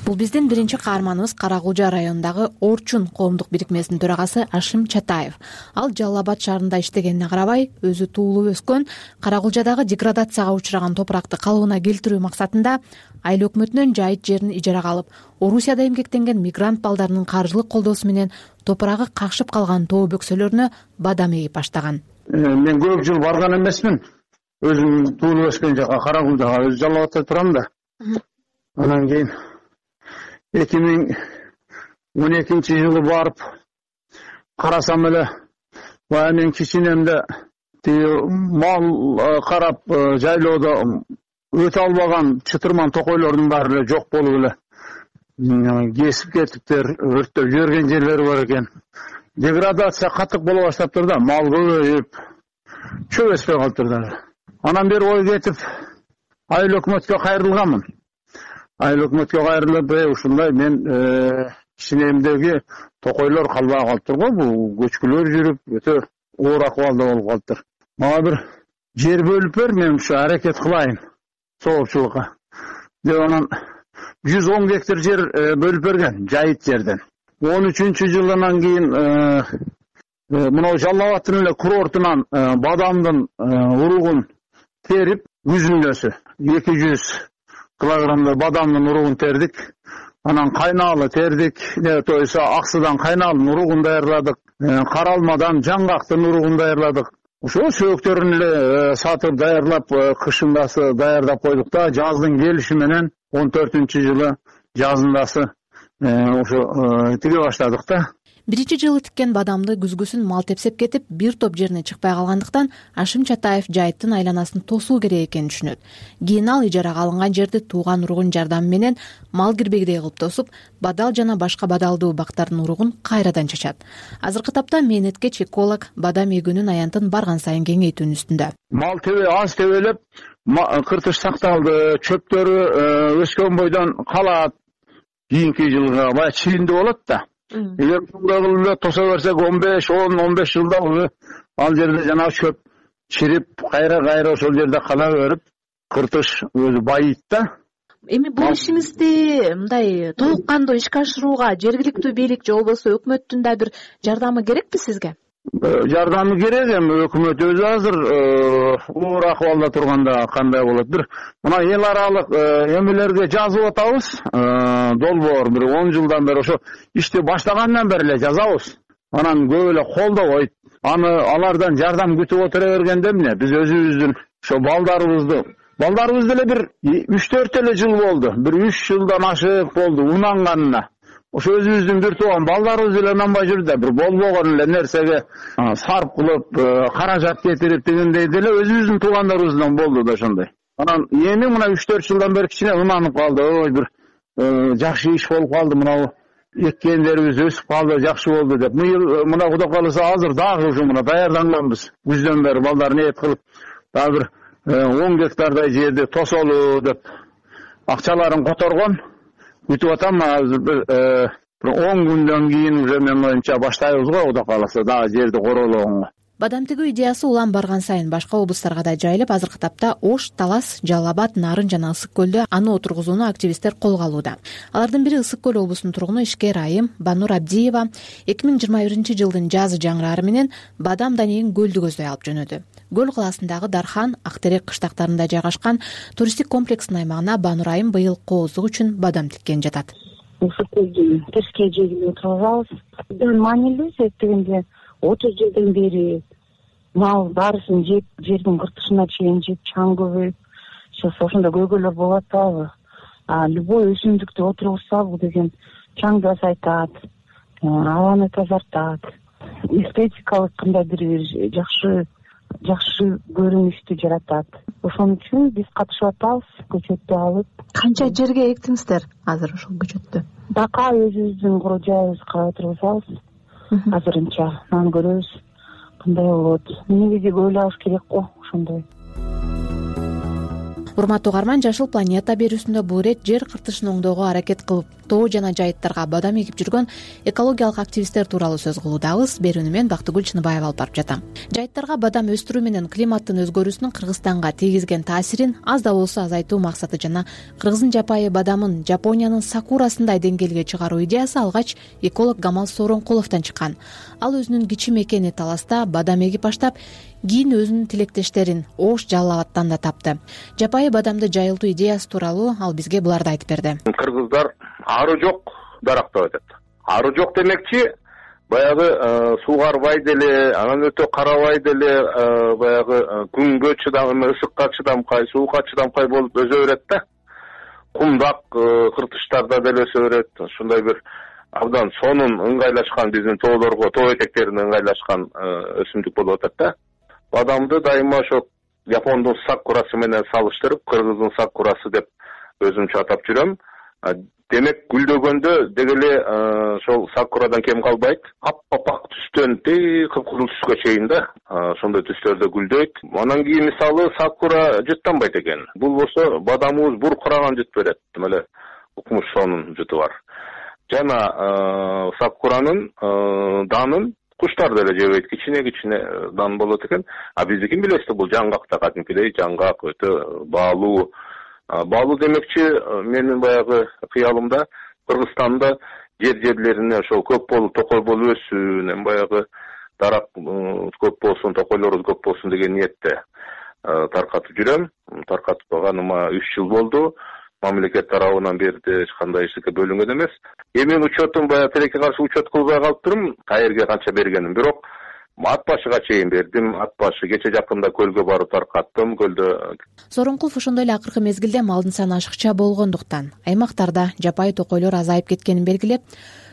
N: Бул биздин биринчи каарманыбыз Каракулжа районундагы Орчун коомдук бирикмесинин төрагасы Ашим Чатаев. Ал Жалал Абад шаарында иштегенине карабай, өзү туулуп өскөн Каракулжадагы деградацияга учураган топуракты калыбына келтирүү максатында айыл өкмөтүнөн жайыт жерин ижарага алып, Орусияда эмгектенген мигрант балдарынын каржылык колдоосу менен топурагы какшып калган тоо бөксөлөрүнө бадам эгип баштаган.
P: Мен көп жыл барган эмесмин. Өзүм туулуп өскөн жака Каракулжага, өзү Жалал Абадта турам да. Анан кийин эки миң он экинчи жылы барып карасам эле, баягы мен кичинемде тиги мал карап жайлоодо өтө албаган чытырман токойлордун баары эле жок болуп эле кесип кетиптер, өрттөп жиберген жерлери бар экен. Деградация катык боло баштаптыр да, мал көбөйүп, чөп өспөй калыптыр да. Анан бери ой кетип, айыл өкмөткө кайрылганмын. Айыл өкмөткө кайрылып, ушундай мен кичинемдеги токойлор калбай калыптыр го, бул көчкүлөр жүрүп, өтө оор акыбалда болуп калыптыр. Мага бир жер бөлүп бер, мен ушу аракет кылайын соопчулукка деп, анан жүз он гектар жер бөлүп берген, жайыт жерден. он үчүнчү жылынан кийин мына Жалал Абадтын эле курортунан бадамдын уругун терип, күзүндөсү эки жүз килограммдай бадамдын уругун тердик. Анан кайнаалы тердик, то есть Аксыдан кайнаалдын уругун даярладык, Каралмадан жаңгактын уругун даярладык. Ошо сөөктөрүн эле сатып даярлап, кышындасы даярдап койдук да, жаздын келиши менен он төртүнчү жылы жазындасы ошо тиге баштадык да.
N: Биринчи жылы тиккен бадамды күзгүсүн мал тепсеп кетип, бир топ жерине чыкпай калгандыктан Ашим Чатаев жайыттын айланасын тосуу керек экенин түшүнөт. Кийин ал ижарага алынган жерди тууган уругун жардамы менен мал кирбегидей кылып тосуп, бадал жана башка бадалдуу бактардын уругун кайрадан чачат. Азыркы тапта мээнеткеч эколог бадам эгүүнүн аянтын барган сайын кеңейтүүнүн үстүндө.
P: Мал тебе аз тебелеп, кыртыш сакталды, чөптөрү өскөн бойдон калат. Кийинки жылга баягы чилиндүү болот да. Эгер ушундай кылып эле тоса берсек, он беш он он беш жылда ал жерде жанагы чөп чирип, кайра-кайра ошол жерде кала берип, кыртыш өзү байыйт да.
N: Эми бул ишиңизди мындай толук кандуу ишке ашырууга жергиликтүү бийлик же болбосо өкмөттүн да бир жардамы керекпи сизге?
P: Жардамы керек, эми өкмөт өзү азыр оор акыбалда турганда кандай болот? Бир мына эл аралык эмелерге жазып атабыз, долбоор бир он жылдан бери ошо ишти баштагандан бери эле жазабыз. Анан көп эле колдобойт. Аны алардан жардам күтүп отура бергенде эмне? Биз өзүбүздүн ошо балдарыбызды, балдарыбыз деле бир үч төрт эле жыл болду. Бир үч жылдан ашык болду унанганына. Ошо өзүбүздүн бир тууган балдарыбыз эле унанбай жүрдү да, бир болбогон эле нерсеге сарп кылып, каражат кетирип дегендей деле өзүбүздүн туугандарыбыздан болду да ошондой. Анан эми мына үч төрт жылдан бери кичине унанып калды. Ой, бир жакшы иш болуп калды, мына эккендерибиз өсүп калды, жакшы болду деп. Мына Кудай кааласа азыр дагы ушу мына даярданганбыз. Күздөн бери балдар ниет кылып дагы бир он гектардай жерди тосолу деп акчаларын которгон. Күтүп атам, азыр бир он күндөн кийин уже менин оюмча баштайбыз го, Кудай кааласа, дагы жерди корологонго.
N: Бадам тигүү идеясы улам барган сайын башка облустарга да жайылып, азыркы тапта Ош, Талас, Жалал Абад, Нарын жана Ысык көлдө аны отургузууну активисттер колго алууда. Алардын бири Ысык көл облусунун тургуну Ишкер Айым Банур Абдиева эки миң жыйырма биринчи жылдын жазы жаңырары менен Бадам Данегин көлдү көздөй алып жөнөдү. Көл калаасындагы Дархан, Актерек кыштактарында жайгашкан туристтик комплекстин аймагына Банур Айым быйыл кооздук үчүн бадам тиккен жатат.
Q: Ысык көлдүн терскей жегине отурабыз. Маанилүү себептегенде отуз жылдан бери мал баарысын жеп, жердин кыртышына чейин жеп, чаң көбөйүп, сейчас ошондо көйгөйлөр болуп атабы. А любой өсүмдүктү отургузсабы деген чаңды азайтат, абаны тазартат, эстетикалык кандайдыр бир жакшы жакшы көрүнүштү жаратат. Ошон үчүн биз катышып атабыз, көчөттү алып.
N: Канча жерге эктиңиздер азыр ошол көчөттү?
Q: Бака өзүбүздүн кур жайыбызга отургузабыз. Азырынча нан көрөбүз. Кандай болот? Негизи ойлош керек го ошондой.
N: Урматтуу угарман, Жашыл планета берүүсүндө бул ирет жер кыртышын оңдоого аракет кылып, тоо жана жайыттарга бадам эгип жүргөн экологиялык активисттер тууралуу сөз кылуудабыз. Берүүнү мен Бактыгүл Чыныбаева алып барып жатам. Жайыттарга бадам өстүрүү менен климаттын өзгөрүүсүнүн Кыргызстанга тийгизген таасирин аз да болсо азайтуу максаты жана кыргыздын жапайы бадамын Жапониянын сакурасындай деңгээлге чыгаруу идеясы алгач эколог Гамал Сооронкуловдон чыккан. Ал өзүнүн кичи мекени Таласта бадам эгип баштап, кийин өзүнүн тилектештерин Ош, Жалал Абадтан да тапты. Жапайы бадамды жайылтуу идеясы тууралуу ал бизге буларды айтып берди.
K: Кыргыздар ары жок дарактап атат. Ары жок демекчи, баягы суугарбай деле, анан өтө карабай деле, баягы күнгө чыдам, ысыкка чыдамкай, суукка чыдамкай болуп өзө берет да. Кумдак кыртыштарда деле өсө берет. Ушундай бир абдан сонун ыңгайлашкан биздин тоолорго, тоо этектерине ыңгайлашкан өсүмдүк болуп атат да. Бадамды дайыма ошо Япондун сакурасы менен салыштырып, кыргыздын сакурасы деп өзүмчө атап жүрөм. Демек гүлдөгөндө дегеле ошол сакурадан кем калбайт. Ап-апак түстөн тээ кыпкызыл түскө чейин да, ошондой түстөрдө гүлдөйт. Анан кийин мисалы сакура жыттанбайт экен. Бул болсо бадамыбыз буркураган жыт берет. Эле укмуш сонун жыты бар. Жана сакуранын данын куштар деле жебейт, кичине-кичине дан болот экен. А биздикин билесиз, бул жаңгакта кадимкидей жаңгак өтө баалуу. Баалуу демекчи, менин баягы кыялымда Кыргызстанда жер-жерлерине ошол көп болуп, токой болуп өссүн, баягы дарак көп болсун, токойлорубуз көп болсун деген ниетте таркатып жүрөм. Таркатып калганыма үч жыл болду. Мамлекет тарабынан бери эч кандай эчтеке бөлүнгөн эмес. Эми учетум баягы тилекке каршы учет кылбай калыптырмын. Каерге канча бергеним, бирок ат башыга чейин бердим. Ат башы кече жакында көлгө барып таркаттым, көлдө.
N: Сооронкулов ошондой эле акыркы мезгилде малдын саны ашыкча болгондуктан аймактарда жапайы токойлор азайып кеткенин белгилеп,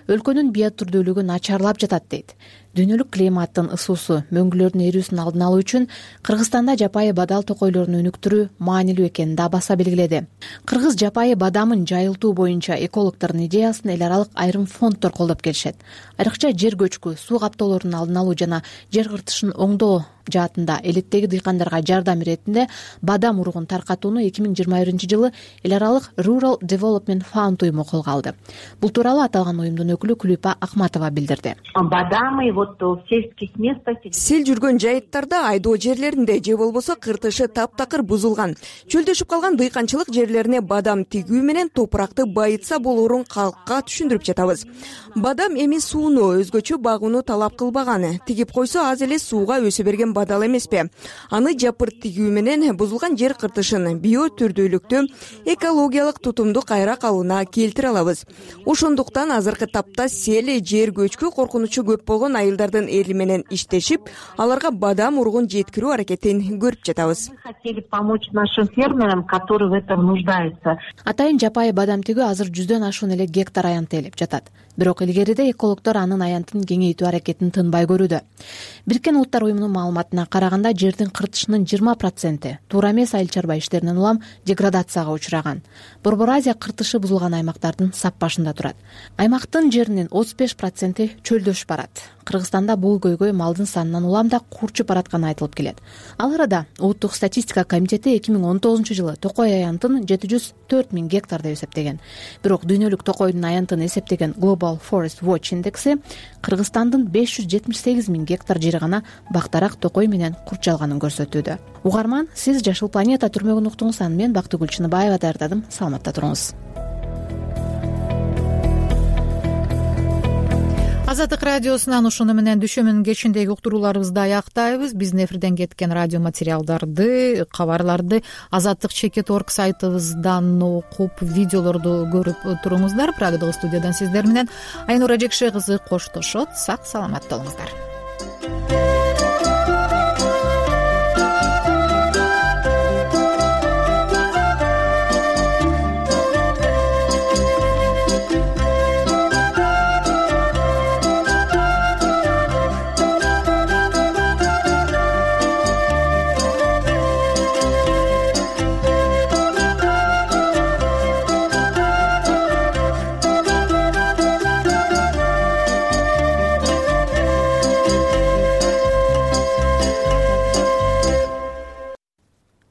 N: өлкөнүн биотүрдүүлүгү начарлап жатат дейт. Дүйнөлүк климаттын ысуусу, мөңгүлөрдүн эрүүсүн алдын алуу үчүн Кыргызстанда жапайы бадал токойлорун өнүктүрүү маанилүү экенин да баса белгиледи. Кыргыз жапайы бадамын жайылтуу боюнча экологдордун идеясын эл аралык айрым фонддор колдоп келишет. Айрыкча жер көчкү, суу каптоолорунун алдын алуу жана жер кыртышын оңдоо жаатында элеттеги дыйкандарга жардам иретинде бадам уругун таркатууну эки миң жыйырма биринчи жылы эл аралык Rural Development Fund уюму колго алды. Бул тууралуу аталган уюмдун өкүлү Күлүпа Акматова билдирди.
R: Бадамы вот в сельских местах. Сел жүргөн жайыттарда, айдоо жерлеринде же болбосо кыртышы таптакыр бузулган, чөлдөшүп калган дыйканчылык жерлерине бадам тигүү менен топуракты байытса болоорун калкка түшүндүрүп жатабыз. Бадам эми сууну өзгөчө багууну талап кылбаган, тигип койсо аз эле сууга өсө берген бадал эмеспи. Аны жапырт тигүү менен бузулган жер кыртышын биотүрдүүлүктү, экологиялык тутумду кайра калууна келтире алабыз. Ошондуктан азыркы тапта сел жер көчкү коркунучу көп болгон айылдардын эли менен иштешип, аларга бадам уругун жеткирүү аракетин көрүп жатабыз. Хотели помочь нашим фермерам, которые в этом нуждаются.
N: Атайын жапайы бадам тигүү азыр жүздөн ашуун эле гектар аянтты ээлеп жатат. бирок илгериде экологдор анын аянтын кеңейтүү аракетин тынбай көрүүдө. Бириккен Улуттар уюмунун маалыматына караганда жердин кыртышынын жыйырма проценти туура эмес айыл чарба иштеринен улам деградацияга учураган. Борбор Азия кыртышы бузулган аймактардын сап башында турат. Аймактын жеринин отуз беш проценти чөлдөшүп барат. Кыргызстанда бул көйгөй малдын санынан улам да курчуп баратканы айтылып келет. Ал арада Улуттук статистика комитети эки миң он тогузунчу жылы токой аянтын жети жүз төрт миң гектар деп эсептеген. Бирок дүйнөлүк токойдун аянтын эсептеген Global Forest Watch индекси Кыргызстандын беш жүз жетимиш сегиз миң гектар жери гана бактарак токой менен курчалганын көрсөтүүдө. Угарман, сиз Жашыл планета түрмөгүн уктуңуз. Аны мен Бактыгүл Чыныбаева даярдадым. Саламатта туруңуз.
A: Азаттык радиосунан ушуну менен дүшөмүнүн кечиндеги уктурууларыбызды аяктайбыз. Биздин эфирден кеткен радио материалдарды, кабарларды азаттык чекит орг сайтыбыздан окуп, видеолорду көрүп туруңуздар. Прагадагы студиядан сиздер менен Айнура Жекше кызы коштошот. Сак саламат болуңуздар.